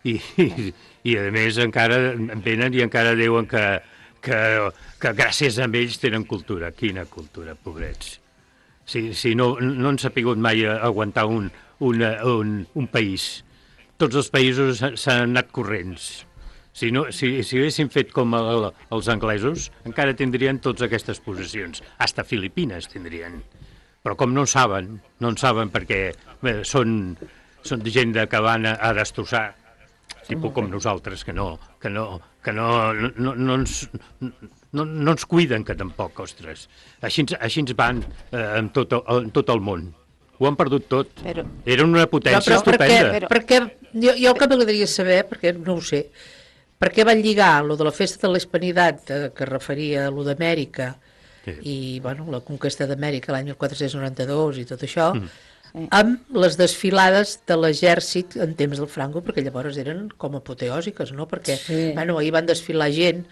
I, i, i a més, encara venen i encara diuen que, que, que gràcies a ells tenen cultura. Quina cultura, pobrets. Si, si no, no han sapigut mai aguantar un, un, un, un país. Tots els països s'han anat corrents. Si, no, si, si haguessin fet com el, els anglesos, encara tindrien totes aquestes possessions. Hasta Filipines tindrien. Però com no en saben, no en saben perquè bé, són... són gent que van a, a destrossar, tipus com nosaltres, que no, que no, que no, no, no, ens, no, no ens cuiden, que tampoc, ostres. Així, així ens van eh, en, tot, en tot el món. Ho han perdut tot. Però, Era una potència no, estupenda. Perquè, perquè jo, jo el que m'agradaria saber, perquè no ho sé, per què van lligar lo de la festa de la Hispanitat, eh, que referia a lo d'Amèrica, sí. I bueno, la conquesta d'Amèrica l'any mil quatre-cents noranta-dos i tot això, mm. amb les desfilades de l'exèrcit en temps del Franco, perquè llavors eren com apoteòsiques, no? Perquè sí. bueno, ahir van desfilar gent,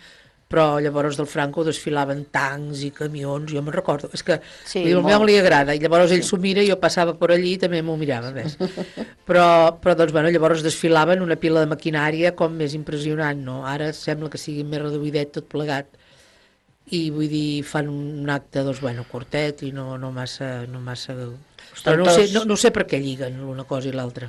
però llavors del Franco desfilaven tancs i camions, jo me'n recordo. És que sí, al meu li agrada, i llavors ell s'ho mira i jo passava per allí i també m'ho mirava més. Però, però doncs, bueno, llavors desfilaven una pila de maquinària com més impressionant, no? Ara sembla que sigui més reduïdet tot plegat. I vull dir, fan un acte, doncs, bueno, curtet i no, no massa... No massa Però no sé, no, no sé per què lliguen l'una cosa i l'altra.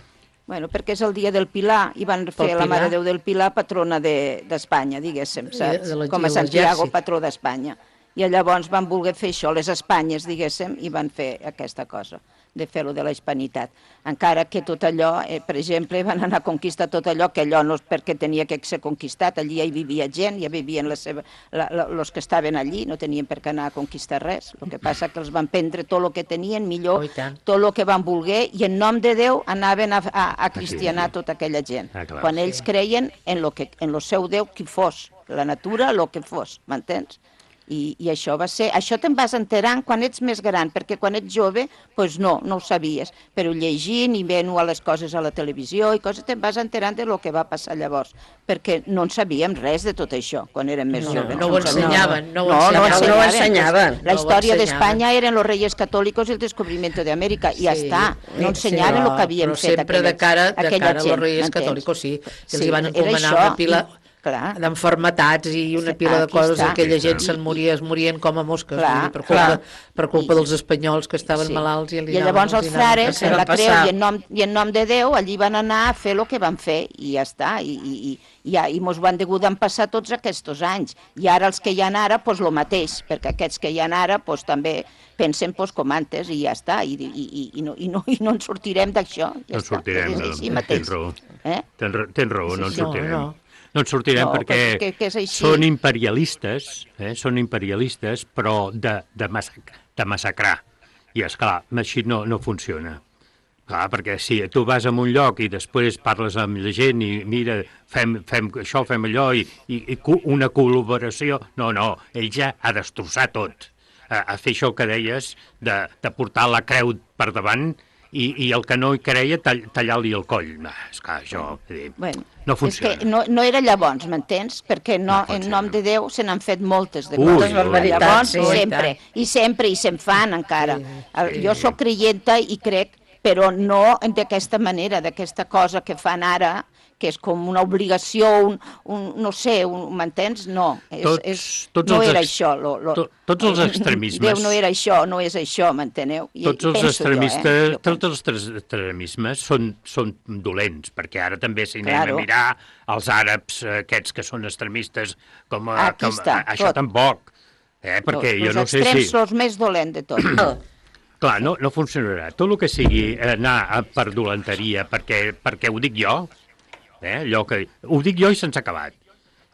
Bueno, perquè és el dia del Pilar i van fer la Mare de Déu del Pilar patrona d'Espanya, diguéssim, saps? Com a Santiago, patró d'Espanya. I llavors van voler fer això, les Espanyes, diguéssim, i van fer aquesta cosa, de fer-ho de la hispanitat. Encara que tot allò, eh, per exemple, van anar a conquistar tot allò, que allò no és perquè tenia que ser conquistat, allí ja hi vivia gent, ja vivien els que estaven allí, no tenien per què anar a conquistar res. El que passa que els van prendre tot el que tenien, millor, oh, tot el que van voler, i en nom de Déu anaven a, a, a cristianar sí, sí. tota aquella gent. Ah, clar, quan ells sí. creien en lo que, en lo seu Déu qui fos, la natura, el que fos, m'entens? I, i això va ser, això te'n vas enterant quan ets més gran, perquè quan ets jove, doncs no, no ho sabies, però llegint i veient a les coses a la televisió i coses, te'n vas enterant de lo que va passar llavors, perquè no en sabíem res de tot això, quan érem més no, joves. No, no ho ensenyaven, no ho no, ensenyaven. No, no ho ensenyaven. La història d'Espanya eren los reyes católicos i el descubrimiento de América, i ja sí, està, no ensenyaven el que havien fet aquella gent. Però sempre de cara, de cara a los reyes católicos, sí, que els van encomanar una pila d'enfermetats i una pila de coses, aquella gent se'n moria, es morien com a mosques, clar, per culpa, per culpa dels espanyols que estaven sí. malalts. I, I llavors els frares, en la creu i en, nom, i en nom de Déu, allí van anar a fer el que van fer, i ja està, i, i, i, i, i mos van degut passar tots aquests anys. I ara els que hi ha ara, doncs el mateix, perquè aquests que hi ha ara, doncs també pensen doncs, com antes, i ja està, i, i, i, i, no, i, no, i no ens sortirem d'això. Ja no està. sortirem, no, tens raó, eh? tens, tens raó, no ens sortirem. No, no. No ens sortirem no, perquè que, que són imperialistes, eh? són imperialistes, però de, de, massac de massacrar. I, esclar, així no, no funciona. Clar, perquè si tu vas a un lloc i després parles amb la gent i mira, fem, fem això, fem allò, i, i, i una col·laboració... No, no, ell ja ha destrossat tot. A, a fer això que deies, de, de portar la creu per davant, I, i el que no hi creia, tall, tallar-li el coll. Ah, és que això dir, bueno, no funciona. És que no, no era llavors, m'entens? Perquè no, no en nom de Déu se n'han fet moltes de coses. Llavors, sí, sempre, i sempre, i se'n fan encara. Sí, sí. Jo sóc creienta i crec, però no d'aquesta manera, d'aquesta cosa que fan ara, que és com una obligació, un, un, no sé, m'entens? No, és, tots, és, tots no era això. Lo, lo, to, tots els extremismes... Déu no era això, no és això, m'enteneu? Tots els extremistes, jo, eh? tots els extremismes són, són dolents, perquè ara també si anem claro. a mirar els àrabs aquests que són extremistes, com, a, com està, això tot. tampoc. Eh? Perquè no, jo no sé si... Els extrems són els més dolents de tot. Clar, no, no funcionarà. Tot el que sigui anar per dolenteria, perquè, perquè ho dic jo, Eh, allò que... Ho dic jo i se'ns ha acabat.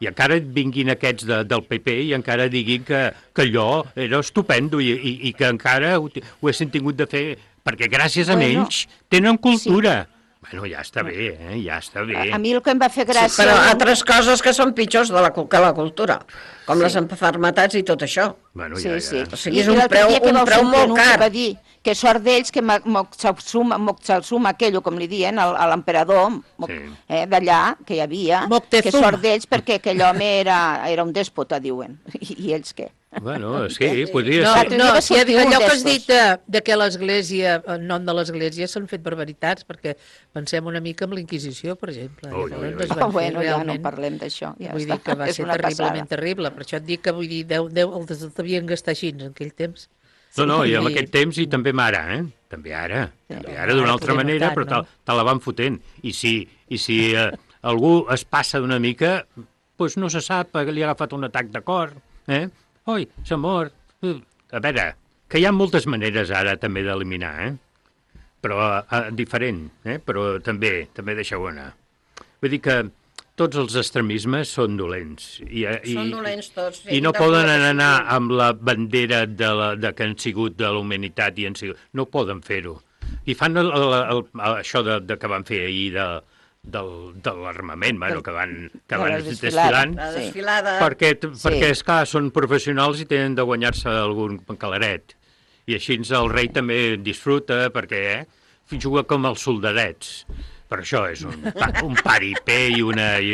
I encara vinguin aquests de, del P P i encara diguin que, que allò era estupendo i, i, i que encara ho, ho haguessin tingut de fer, perquè gràcies a bueno, ells tenen cultura. Sí. Bueno, ja està bé, eh? ja està bé. A, a mi el que em va fer gràcia... Sí, però altres coses que són pitjors de la, que la cultura, com sí. les enfermetats i tot això. Bueno, sí, ja, ja. sí. O sigui, és un preu, un preu molt car. Va dir que sort d'ells que Moctezuma, aquell, com li diuen, a l'emperador sí. eh, d'allà, que hi havia, Moctezuma. Que sort d'ells perquè aquell home era, era un dèspota, diuen. I, i ells què? Bueno, sí, podria no, ser. No, si allò que has dit de, de que l'Església, en nom de l'Església, s'han fet barbaritats, perquè pensem una mica en la Inquisició, per exemple. Ui, ui, ui. Oh, bueno, ja no parlem d'això. Ja vull està. dir que va és ser terriblement passada. terrible, per això et dic que vull dir, Déu, Déu els devien gastar així en aquell temps. No, no, i en aquest temps i també ara, eh? També ara, sí. també ara d'una altra manera, notar, però no? te, te la van fotent. I si, i si eh, algú es passa d'una mica, doncs no se sap, li ha agafat un atac de cor, eh? Oi, s'ha mort. A veure, que hi ha moltes maneres ara també d'eliminar, eh? Però eh, diferent, eh? Però també, també deixeu anar. Vull dir que tots els extremismes són dolents. I, i, són dolents tots. Sí, I no poden anar amb la bandera de, la, de que han sigut de la humanitat i han sigut... No poden fer-ho. I fan el, el, el, això de, de que van fer ahir de, del, de l'armament, bueno, que van, que van desfilant, la desfilada. perquè, sí. perquè esclar, són professionals i tenen de guanyar-se algun calaret. I així el rei també disfruta, perquè eh, juga com els soldadets. Però això és un, un paripé i una... I,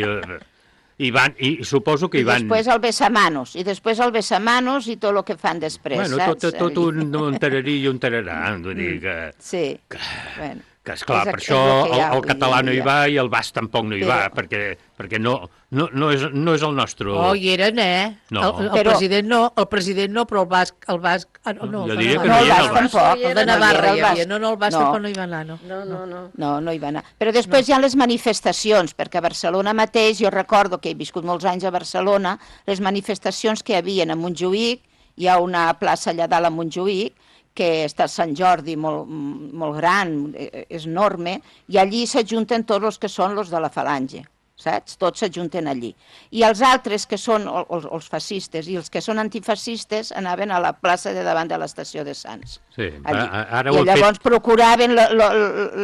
i, van, i suposo que hi van... I després el besamanos, i després el besamanos i tot el que fan després, bueno, saps? Tot, tot un, un tararí i un tararà, vull dir que... Sí, que, bueno. Que, esclar, És- per és això el que el, hi ha el avui català en no hi dia. va i el basc tampoc no hi Però- va, perquè, perquè no, no, no, és, no és el nostre... Oh, hi eren, eh? No. El, el, Però- president no, el president no, però el basc... El basc ah, no, no, Jo el de diria que Navarra. no hi era el el basc basc. tampoc. El de No hi Navarra era hi el havia, basc. no, no, el basc No. tampoc no hi va anar, no. No, no, no. No, no hi va anar. Però després no. hi ha les manifestacions, perquè a Barcelona mateix, jo recordo que he viscut molts anys a Barcelona, les manifestacions que hi havia a Montjuïc, hi ha una plaça allà dalt a Montjuïc, que està a Sant Jordi, molt, molt gran, eh, és enorme, i allí s'ajunten tots els que són els de la falange, saps? Tots s'ajunten allí. I els altres, que són el- els, els fascistes i els que són antifascistes, anaven a la plaça de davant de l'estació de Sants. Sí, Allí. a- ara I ho ha llavors fet... procuraven lo, lo,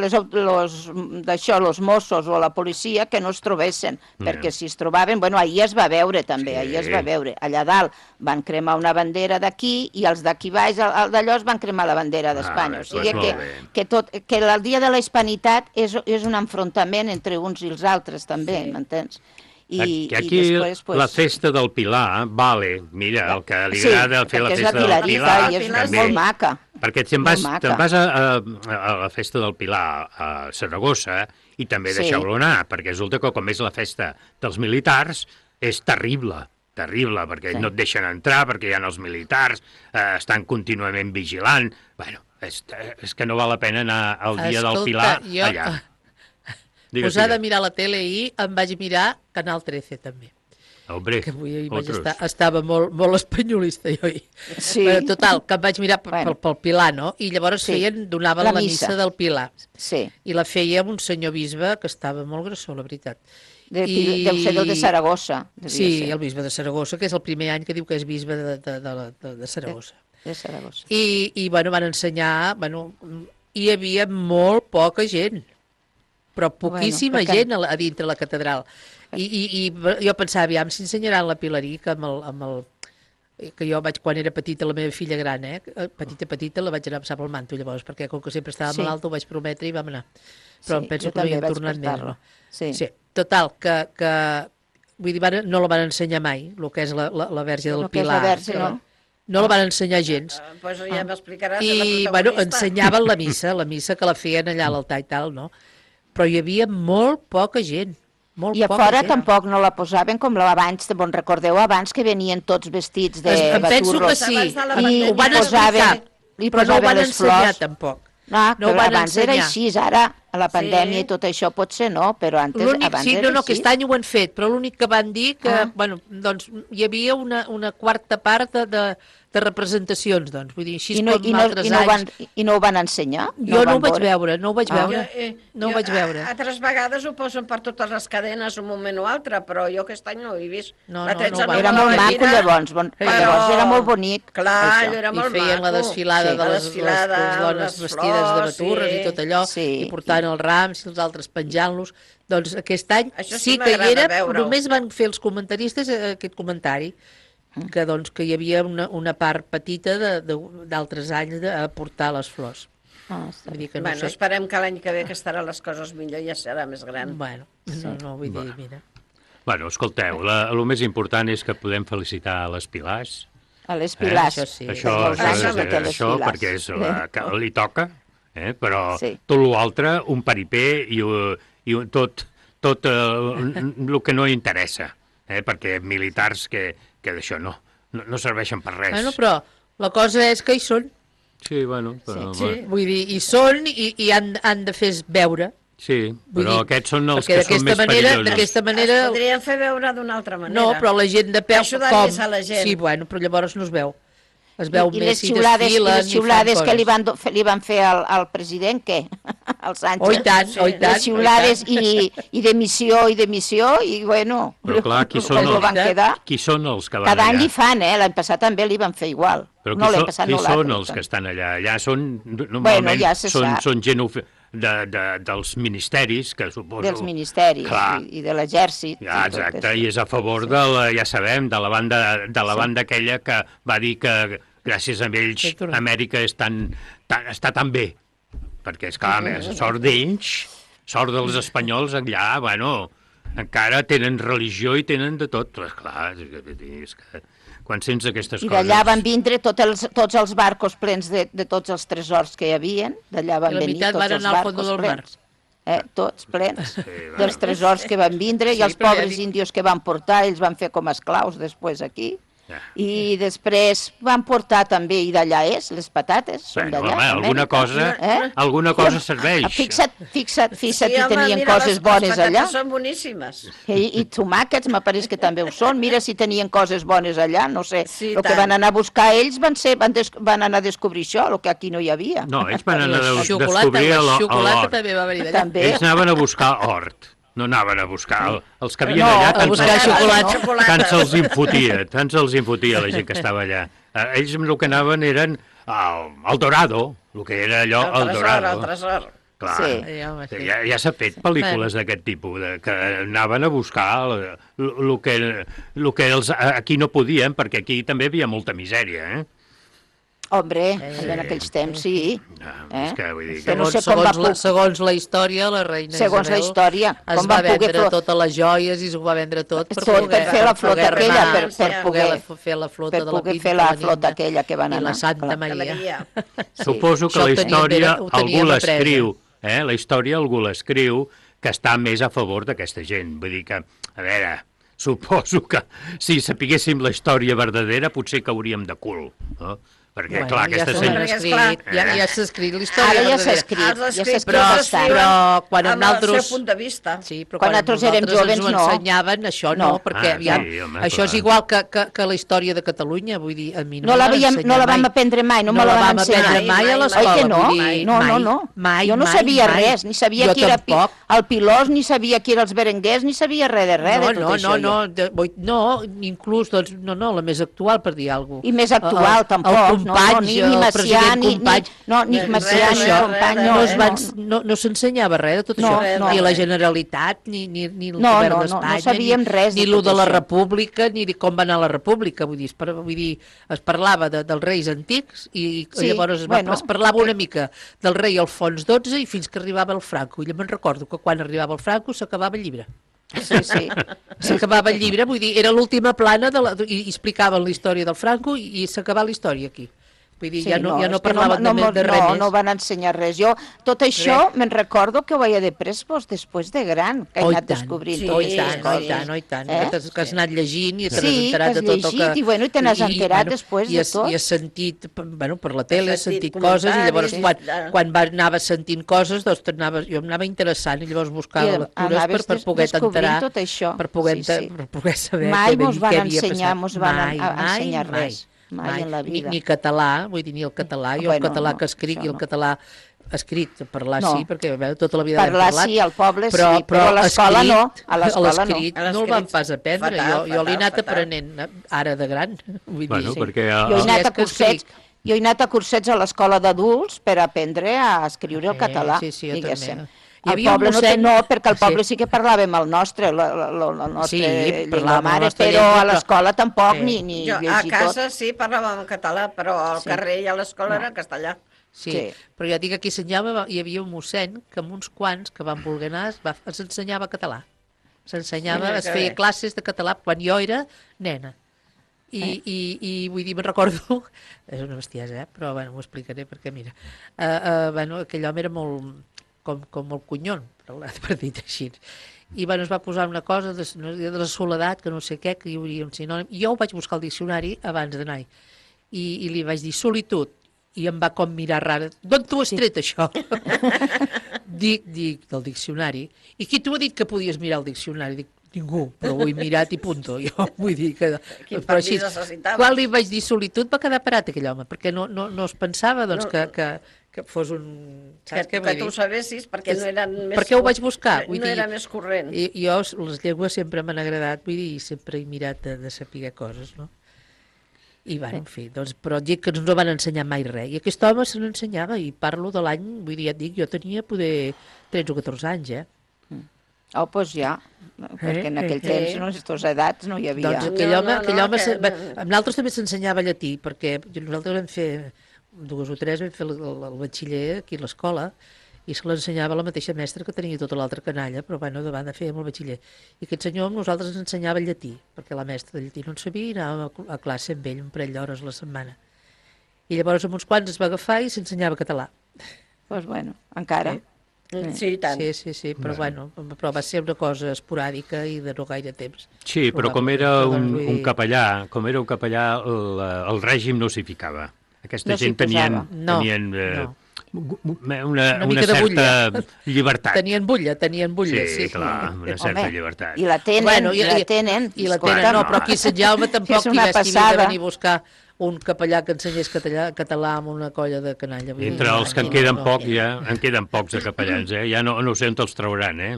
les, los, d'això, els Mossos o la policia que no es trobessin, Ja. perquè si es trobaven, bueno, ahir es va veure també, Sí. ahir es va veure. Allà dalt van cremar una bandera d'aquí i els d'aquí baix, el, el d'allò, es van cremar la bandera d'Espanya. Ah, O sigui doncs que, molt bé. que, tot, que el dia de la hispanitat és, és un enfrontament entre uns i els altres també, sí. m'entens? I, que aquí i després, pues, la festa del Pilar, vale, mira, el que li Sí, agrada fer la perquè és festa la del Pilarista Pilar... i és també. molt maca. Perquè te'n Molt vas, maca. te'n vas a, a, a la festa del Pilar a Saragossa i també Sí. deixeu-lo anar, perquè resulta que com és la festa dels militars, és terrible, terrible, perquè Sí. no et deixen entrar, perquè hi ha els militars, eh, estan contínuament vigilant... Bueno, és, és que no val la pena anar al dia del Escolta, Pilar jo- allà. Digues, Posar de digues. mirar la tele i em vaig mirar Canal trece també. Hombre, Que avui vaig otros. estar, estava molt, molt espanyolista jo ahir. Sí. Però total, que em vaig mirar pel, Bueno. pel, pel Pilar, no? I llavors Sí. feien, donaven La la, missa. missa del Pilar. Sí. I la feia un senyor bisbe que estava molt grassó, la veritat. De, I... Deu ser del de Saragossa. devia Sí, ser. el bisbe de Saragossa, que és el primer any que diu que és bisbe de, de, de, de, de Saragossa. De Saragossa. I, i bueno, van ensenyar, bueno, hi havia molt poca gent, però poquíssima Bueno, perquè- gent a, la- a dintre la catedral. I, i, i jo pensava, aviam, si ensenyaran la Pilarí, que amb el, amb el que jo vaig, quan era petita, la meva filla gran, eh? petita, petita, la vaig anar a passar pel manto llavors, perquè com que sempre estava Sí. malalta ho vaig prometre i vam anar. Però Sí, em penso jo que no hi també hem vaig tornat més, portar-la. no? Sí. sí. Total, que, que vull dir, van, no la van ensenyar mai, el que és la, la, la Verge del El que és Pilar. la Verge, no? No la van ensenyar gens. Uh, pues ja m'explicaràs de I, la bueno, protagonista. ensenyaven la missa, la missa que la feien allà a l'altar i tal, no? Però hi havia molt poca gent. Molt I a poca fora gent. tampoc no la posaven com la abans, de bon recordeu abans que venien tots vestits de Es- em penso baturros. que sí, Abans de la I, pandèmia. ho van i posaven, explicar, i però no ho posaven van les ensenyar flors. tampoc. No, No ho però van abans era ensenyar. així, ara a la Sí. pandèmia i tot això potser no, però antes, L'únic, abans sí, era no, no, així. aquest any ho han fet, però l'únic que van dir que, Ah. bueno, doncs hi havia una, una quarta part de, de, de representacions, doncs, vull dir, així I no, com i, no, altres i, no ho van, anys. I no ho van ensenyar? Jo no, van ho vaig veure? veure, no ho vaig Ah. veure, Jo, eh, no ho jo, vaig veure. a- Altres vegades ho posen per totes les cadenes un moment o altre, però jo aquest any no ho he vist. No, La no, tretze no va- Era me la molt vaig maco mirar, llavors, bon, però- llavors era molt bonic. Clar, això. allò era I molt feien la maco. desfilada Sí. de La les, desfilada, les, les dones les vestides de flors, baturres sí. i tot allò, Sí. i portant els rams i els altres penjant-los. Doncs aquest any Això sí sí que hi m'agrada era, veure-ho. només van fer els comentaristes eh, aquest comentari, que, doncs, que hi havia una, una part petita de- de- d'altres anys de, a portar les flors. Ah, està Vull bé. dir que no Bueno, sé. esperem que l'any que ve que estaran les coses millor i ja serà més gran. Bueno, no, no, vull dir, mira. Bueno, escolteu, la, el més important és que podem felicitar les Pilars. A les Eh? Pilars. Això sí. Això, Molts això, anys és, que té les això Pilars. perquè és la, que li toca, eh? Però Sí. tot l'altre, un paripé i, uh, i un- tot, tot uh, el que no interessa, eh? Perquè militars que, que d'això no, no, no serveixen per res. Bueno, però la cosa és que hi són. Sí, bueno, però, Sí, sí. Vull dir, hi són i, i han, han de fer veure. sí, Vull però dir, aquests són els perquè que són d'aquesta més manera, perillosos. d'aquesta manera... Es podrien fer veure d'una altra manera. No, però la gent de peu, Ajudar com? més a la gent. Sí, bueno, però llavors no es veu. Es veu I, i més les si xiulades, i desfilen les i fan xiulades que li coses. van, do- li van fer al, al president, què? Al Sánchez. Oh, i tant, oh, i tant. Les xiulades i, i d'emissió i d'emissió i, bueno, Però clar, qui són, com ho els, van quedar. qui són els que van Cada any allà? li fan, eh? L'any passat també li van fer igual. Però no qui, l'any són, passat qui no són l'altre. els que estan allà? Allà són, normalment, ja se són, sap. són gent of- de, de, dels ministeris, que suposo... Dels ministeris Clar. i, i de l'exèrcit. Ja, i tot exacte, això. i és a favor de la, ja sabem, de la banda, de la Sí. banda aquella que va dir que gràcies a ells Sí, tu no. Amèrica és tan, tan, està tan bé. Perquè, esclar, a més, sort d'ells, sort dels espanyols allà, bueno, encara tenen religió i tenen de tot. Però, esclar, és que, és que quan sents aquestes I coses... d'allà van vindre tots els, tots els barcos plens de, de tots els tresors que hi havia, d'allà van I la venir meitat tots van els anar al barcos fons del mar. plens. Eh, tots plens Sí, va. dels tresors que van vindre, Sí, i els però ja pobres dic- índios que van portar, ells van fer com a esclaus després aquí. Ja. I després van portar també, i d'allà és, les patates, són Bueno, d'allà. home, alguna d'Amèrica. cosa, Eh? alguna cosa serveix. Fixa't, fixa't, fixa't, Sí, si home, tenien mira, coses les- bones les allà. patates són boníssimes. I, i tomàquets, m'apareix que també ho són. Mira si tenien coses bones allà, no sé. Sí, el que tant. van anar a buscar ells van, ser, van, des, van anar a descobrir això, el que aquí no hi havia. No, ells van anar a La des- xocolata, descobrir la l'or. xocolata també va venir d'allà. També. Ells anaven a buscar hort, no anaven a buscar... El, els que havien No, allà... a tant buscar se'ls- xocolata. Tant se'ls infotia, tant se'ls infotia la gent que estava allà. Eh, Ells el que anaven eren al, al Dorado, el que era allò, El el tresor, Dorado. el tresor. Clar, Sí. Sí, home, sí. ja, ja s'ha fet pel·lícules d'aquest tipus, de, que anaven a buscar el que, lo que els, aquí no podien, perquè aquí també hi havia molta misèria, eh? Hombre, en aquells temps sí. Eh? És que vull dir Que que... no Segons, sé com va segons, la, pu- segons la història, la reina Segons la Isabel història, es com va van poder vendre fer- totes les joies i s'ho va vendre tot per, Tot poder, per fer la flota poder aquella, remar, per- per per poder- la, fer la flota per de la poder Pinta, fer la la flota Nina aquella que van i anar. la Santa Clar. Maria. Suposo que Això la ho teníem història, ben- ho teníem algú apresa. l'escriu, eh? La història algú l'escriu que està més a favor d'aquesta gent. Vull dir que, a veure, suposo que si sapiguéssim la història verdadera potser cauríem de cul, no? Perquè, Bueno, clar, ja aquesta s'ho gent... han Perquè, escrit, esclar, ja, eh? ja s'ha escrit la història Ara ja s'ha verdadera. escrit, Els ja s'ha escrits escrit Però, bastant. però quan amb amb el nosaltres... seu punt de vista. Sí, però Quan quan, nosaltres érem nosaltres jovens, ens ho no. ensenyaven, això no, No. perquè Ah, aviam, sí, home, això és clar. igual que, que, que la història de Catalunya, vull dir, a mi no, No la, me veiem, ensenyar no la vam mai. aprendre mai, no, No me la la van vam ensenyar. aprendre mai a Mai, l'escola. Oi que no? vull dir, no, no, mai, no. Mai, jo no mai, sabia mai. res, ni sabia Jo qui era pi, tampoc. el Pilós, ni sabia qui era els berenguers, ni sabia res de res no, de tot no, això. no, no, de, vull- no, inclús, doncs, no, no, la més actual, per dir alguna cosa. I més actual, tampoc, El no, company, no, ni- ni el Macià, president ni- ni- company. no, ni Res, Macià, res, ni res, company, res, no, no, es eh, van, no. no, no s'ensenyava res de tot No, això, no. ni la Generalitat, ni, ni, ni el No, govern no, no, no d'Espanya, sabíem ni, res de ni lo tot de la això. República, ni de com va anar la República, vull dir, es, par, vull dir, es parlava de, dels reis antics i Sí, llavors es, va, bueno, es parlava una mica del rei Alfons dotze i fins que arribava el Franco. I jo me'n recordo que quan arribava el Franco s'acabava el llibre. Sí, sí. S'acabava el llibre, vull dir, era l'última plana de la, i, i explicaven la història del Franco i, i s'acabava la història aquí. Vull dir, ja no, ja no és que parlaven no, de, no, de res no, més. no van ensenyar res. Jo, tot això, me'n recordo que ho veia de després, després de gran, que he Oh, i anat tant. descobrint Sí, totes oh, i aquestes tant, oh, i coses. tant, oh, i tant. Eh? Que, t'has- que has anat llegint i te n'has Sí, enterat que has de tot el que... llegit i, bueno, i te n'has enterat després de i has, tot. I has sentit, bueno, per la tele, has sentit, sentit coses i llavors comentaris, quan, sí. quan va, anaves sentint coses, doncs t'anaves, jo em anava interessant i llavors buscava I lectures per, anaves per des- poder descobrint enterar, tot això. per poder, Sí, sí. per poder saber Mai què, mos què van havia ensenyar, passat. mos van mai, a- a mai, ensenyar mai, res, mai en la vida. Ni, ni català, vull dir, ni el català, jo Bueno, el català no, que escric això i el no. català escrit, parlar No. sí, perquè veu, tota la vida l'hem Parlar parlat. sí, al poble sí, però, però a l'escola escrit- no, a l'escola no. l'escrit A no el van l'escrit, pas aprendre, fatal, jo, jo l'he fatal, anat fatal. aprenent eh, ara de gran. Vull Bueno, dir, perquè... Jo he el- Sí, anat és a que cursets, escric. jo he anat a cursets a l'escola d'adults per aprendre a escriure el Sí, català, sí, sí, jo diguéssim. també. Hi Al havia un poble no, té, mossèn- no, perquè al Sí. poble sí que parlàvem el nostre, la, la, la, la nostra Sí, llengua parlàvem la mare, nostra però llengua, a però- l'escola tampoc, Sí. ni, ni Jo, a llegir casa tot. sí parlàvem en català, però al Sí. carrer i a l'escola No. era en castellà. Sí, Sí. però ja dic que aquí ensenyava, hi havia un mossèn que amb uns quants que van voler anar es, va, es ensenyava català. S'ensenyava, Mira es que feia bé. classes de català quan jo era nena. I, Eh? i, i vull dir, me'n recordo, és una bestiesa, eh? Però bueno, m'ho explicaré perquè mira, uh, uh, bueno, aquell home era molt, com, com molt cunyon, per, per dir així. I bueno, es va posar una cosa de, de la soledat, que no sé què, que hi hauria un sinònim. Jo ho vaig buscar al diccionari abans d'anar I, i li vaig dir solitud, i em va com mirar rara. D'on t'ho has tret, això? dic, dic, del diccionari. I qui t'ho ha dit que podies mirar el diccionari? Dic, ningú, però ho he mirat i punto. Jo vull dir que... Quin però així, permís necessitaves? quan li vaig dir solitud va quedar parat aquell home, perquè no, no, no es pensava doncs, No. que, que, que fos un... Que, Saps què que vull tu dir? ho sabessis perquè no eren més... Perquè ho vaig buscar, No, vull no dir- era més corrent. I, jo, les llengües sempre m'han agradat, vull dir, i sempre he mirat de, de saber coses, no? I, bueno, en fi, doncs, però et dic que no ens van ensenyar mai res. I aquest home se n'ensenyava, i parlo de l'any, vull dir, ja et dic, jo tenia poder tretze o catorze anys, eh? Oh, doncs ja, perquè en aquell eh, temps, eh. no, aquestes edats no hi havia. Doncs aquell No, home, no, aquell no, home que se, va, no. amb l'altre també s'ensenyava llatí, perquè nosaltres vam fer, dues o tres, vam fer el, el, el batxiller aquí a l'escola, i se l'ensenyava la mateixa mestra que tenia tota l'altra canalla, però bueno, davant de fer amb el batxiller. I aquest senyor amb nosaltres ens ensenyava llatí, perquè la mestra de llatí no en sabia i anàvem a, a classe amb ell un parell d'hores a la setmana. I llavors amb uns quants es va agafar i s'ensenyava català. Doncs pues bueno, encara. Sí. Sí, tant. Sí, sí, sí, però bueno, però va ser una cosa esporàdica i de no gaire temps. Sí, però com era un, un capellà, com era un capellà, el, el règim no s'hi ficava. Aquesta No gent s'hi tenien, posava. No, tenien eh, no. una, Una una mica de certa bulla. llibertat. Tenien bulla, tenien bulla, sí. Sí, clar, una certa llibertat. I la tenen, Bueno, i- i la i- tenen. I la escolta, tenen, no, però aquí a Sant Jaume tampoc És hi una va estimar de passada. venir a buscar un capellà que ensenyés català, català amb una colla de canalla. Vull dir, Entre no, els que en no, queden no. pocs, ja, en queden pocs de capellans, eh? Ja no, no sé on els trauran, eh?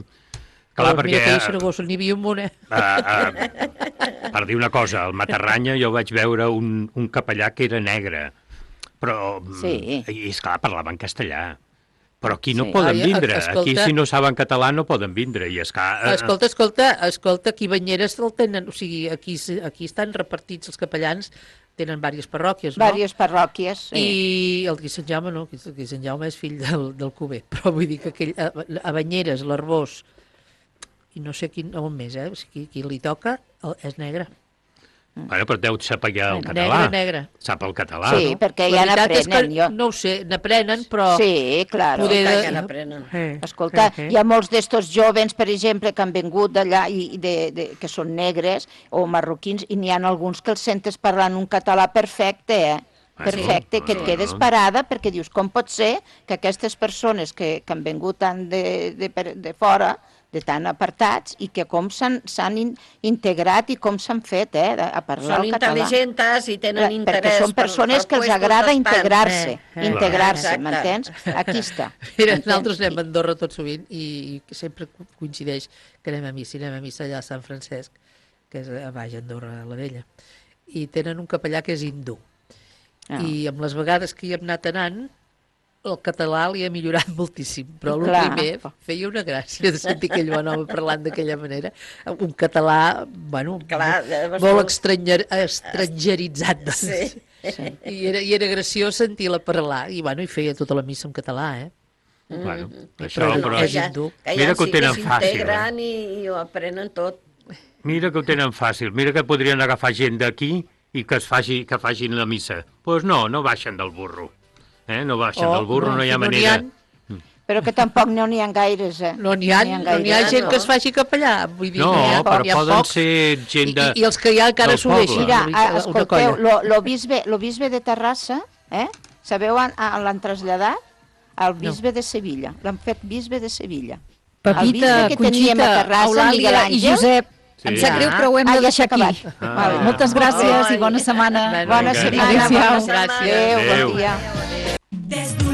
Clar, Però perquè... mira que a Saragossa n'hi havia un munt, eh? Uh, uh, per dir una cosa, al Matarranya jo vaig veure un, un capellà que era negre, però, Sí. i esclar, parlava en castellà. Però aquí no Sí. poden Ai, vindre, escolta- aquí si no saben català no poden vindre, i esclar... eh, Escolta, escolta, escolta, aquí Banyeres el tenen, o sigui, aquí, aquí estan repartits els capellans, tenen diverses parròquies, no? Diverses parròquies, sí. I el de Sant Jaume no, el de Sant Jaume és fill del, del Cuber, però vull dir que aquell, a, a Banyeres, l'Arbós, i no sé quin, on més, eh? O sigui, qui li toca el, és negre. Bueno, però deu saber el Negre, català. negre. Sap el català, Sí, no? perquè La ja veritat és que n'aprenen, jo. no ho sé, n'aprenen, però... Sí, clar. Poder de- Ja n'aprenen. Eh, Escolta, eh, eh. hi ha molts d'estos jovens, per exemple, que han vingut d'allà i i de, de, que són negres o marroquins, i n'hi ha alguns que els sentes parlant un català perfecte, eh? Ah, sí? Perfecte, que et No, no, quedes no. parada perquè dius, com pot ser que aquestes persones que, que han vingut tant de, de, per- de fora, de tan apartats, i que com s'han s'han in, integrat i com s'han fet, eh, a parlar Són el català. intel·ligents i tenen Perquè interès són persones per- que per els agrada puestos d'estar. integrar-se, Eh, eh. integrar-se, Exacte. m'entens? Aquí està. Mira, m'entens? nosaltres anem a Andorra tot sovint i, i que sempre co- coincideix que anem a missa, anem a missa allà a Sant Francesc, que és a baix Andorra la Vella, i tenen un capellà que és hindú. Ah. I amb les vegades que hi hem anat anant, el català li ha millorat moltíssim, però el Clar. primer feia una gràcia de sentir aquell bon home parlant d'aquella manera. Un català, bueno, Clar, molt, eh, molt estranyer, estrangeritzat. Doncs. Sí. I, era, I era graciós sentir-la parlar, i bueno, i feia tota la missa en català, eh? Bueno, Mm. això, Però però... és ja, hindú. que ja Mira que ho sí que tenen fàcil, s'integren i, i ho aprenen tot. Mira que ho tenen fàcil, mira que podrien agafar gent d'aquí i que es faci, que facin la missa. Doncs pues no, no baixen del burro. Eh? No baixen Oh, del burro, no, no, hi ha si no n'hi manera. ha. Però que tampoc no n'hi ha gaires, eh? No n'hi ha, no n'hi ha gaires, gent no. que es faci capellà. Vull dir, No, n'hi ha, però n'hi ha poden pocs. ser gent de... I, I els que hi ha encara del s'ho poble. deixen. Mira, una ah, mica, una escolteu, colla. lo, lo, bisbe, lo bisbe de Terrassa, eh? Sabeu on, on l'han traslladat? Al bisbe de Sevilla. L'han fet bisbe de Sevilla. el bisbe Pepita, que teníem a Conxita, Terrassa, Miguel Eulàlia i Àngel. Josep. Sí. Em sap greu, Ah, però ho hem ah, de ja deixar s'ha aquí. acabat. Ah. Vale. Moltes gràcies i bona setmana. Bona Vinga. setmana, Adéu-siau. bona setmana. Gràcies. Adéu, bon Adéu. dia. Des d'un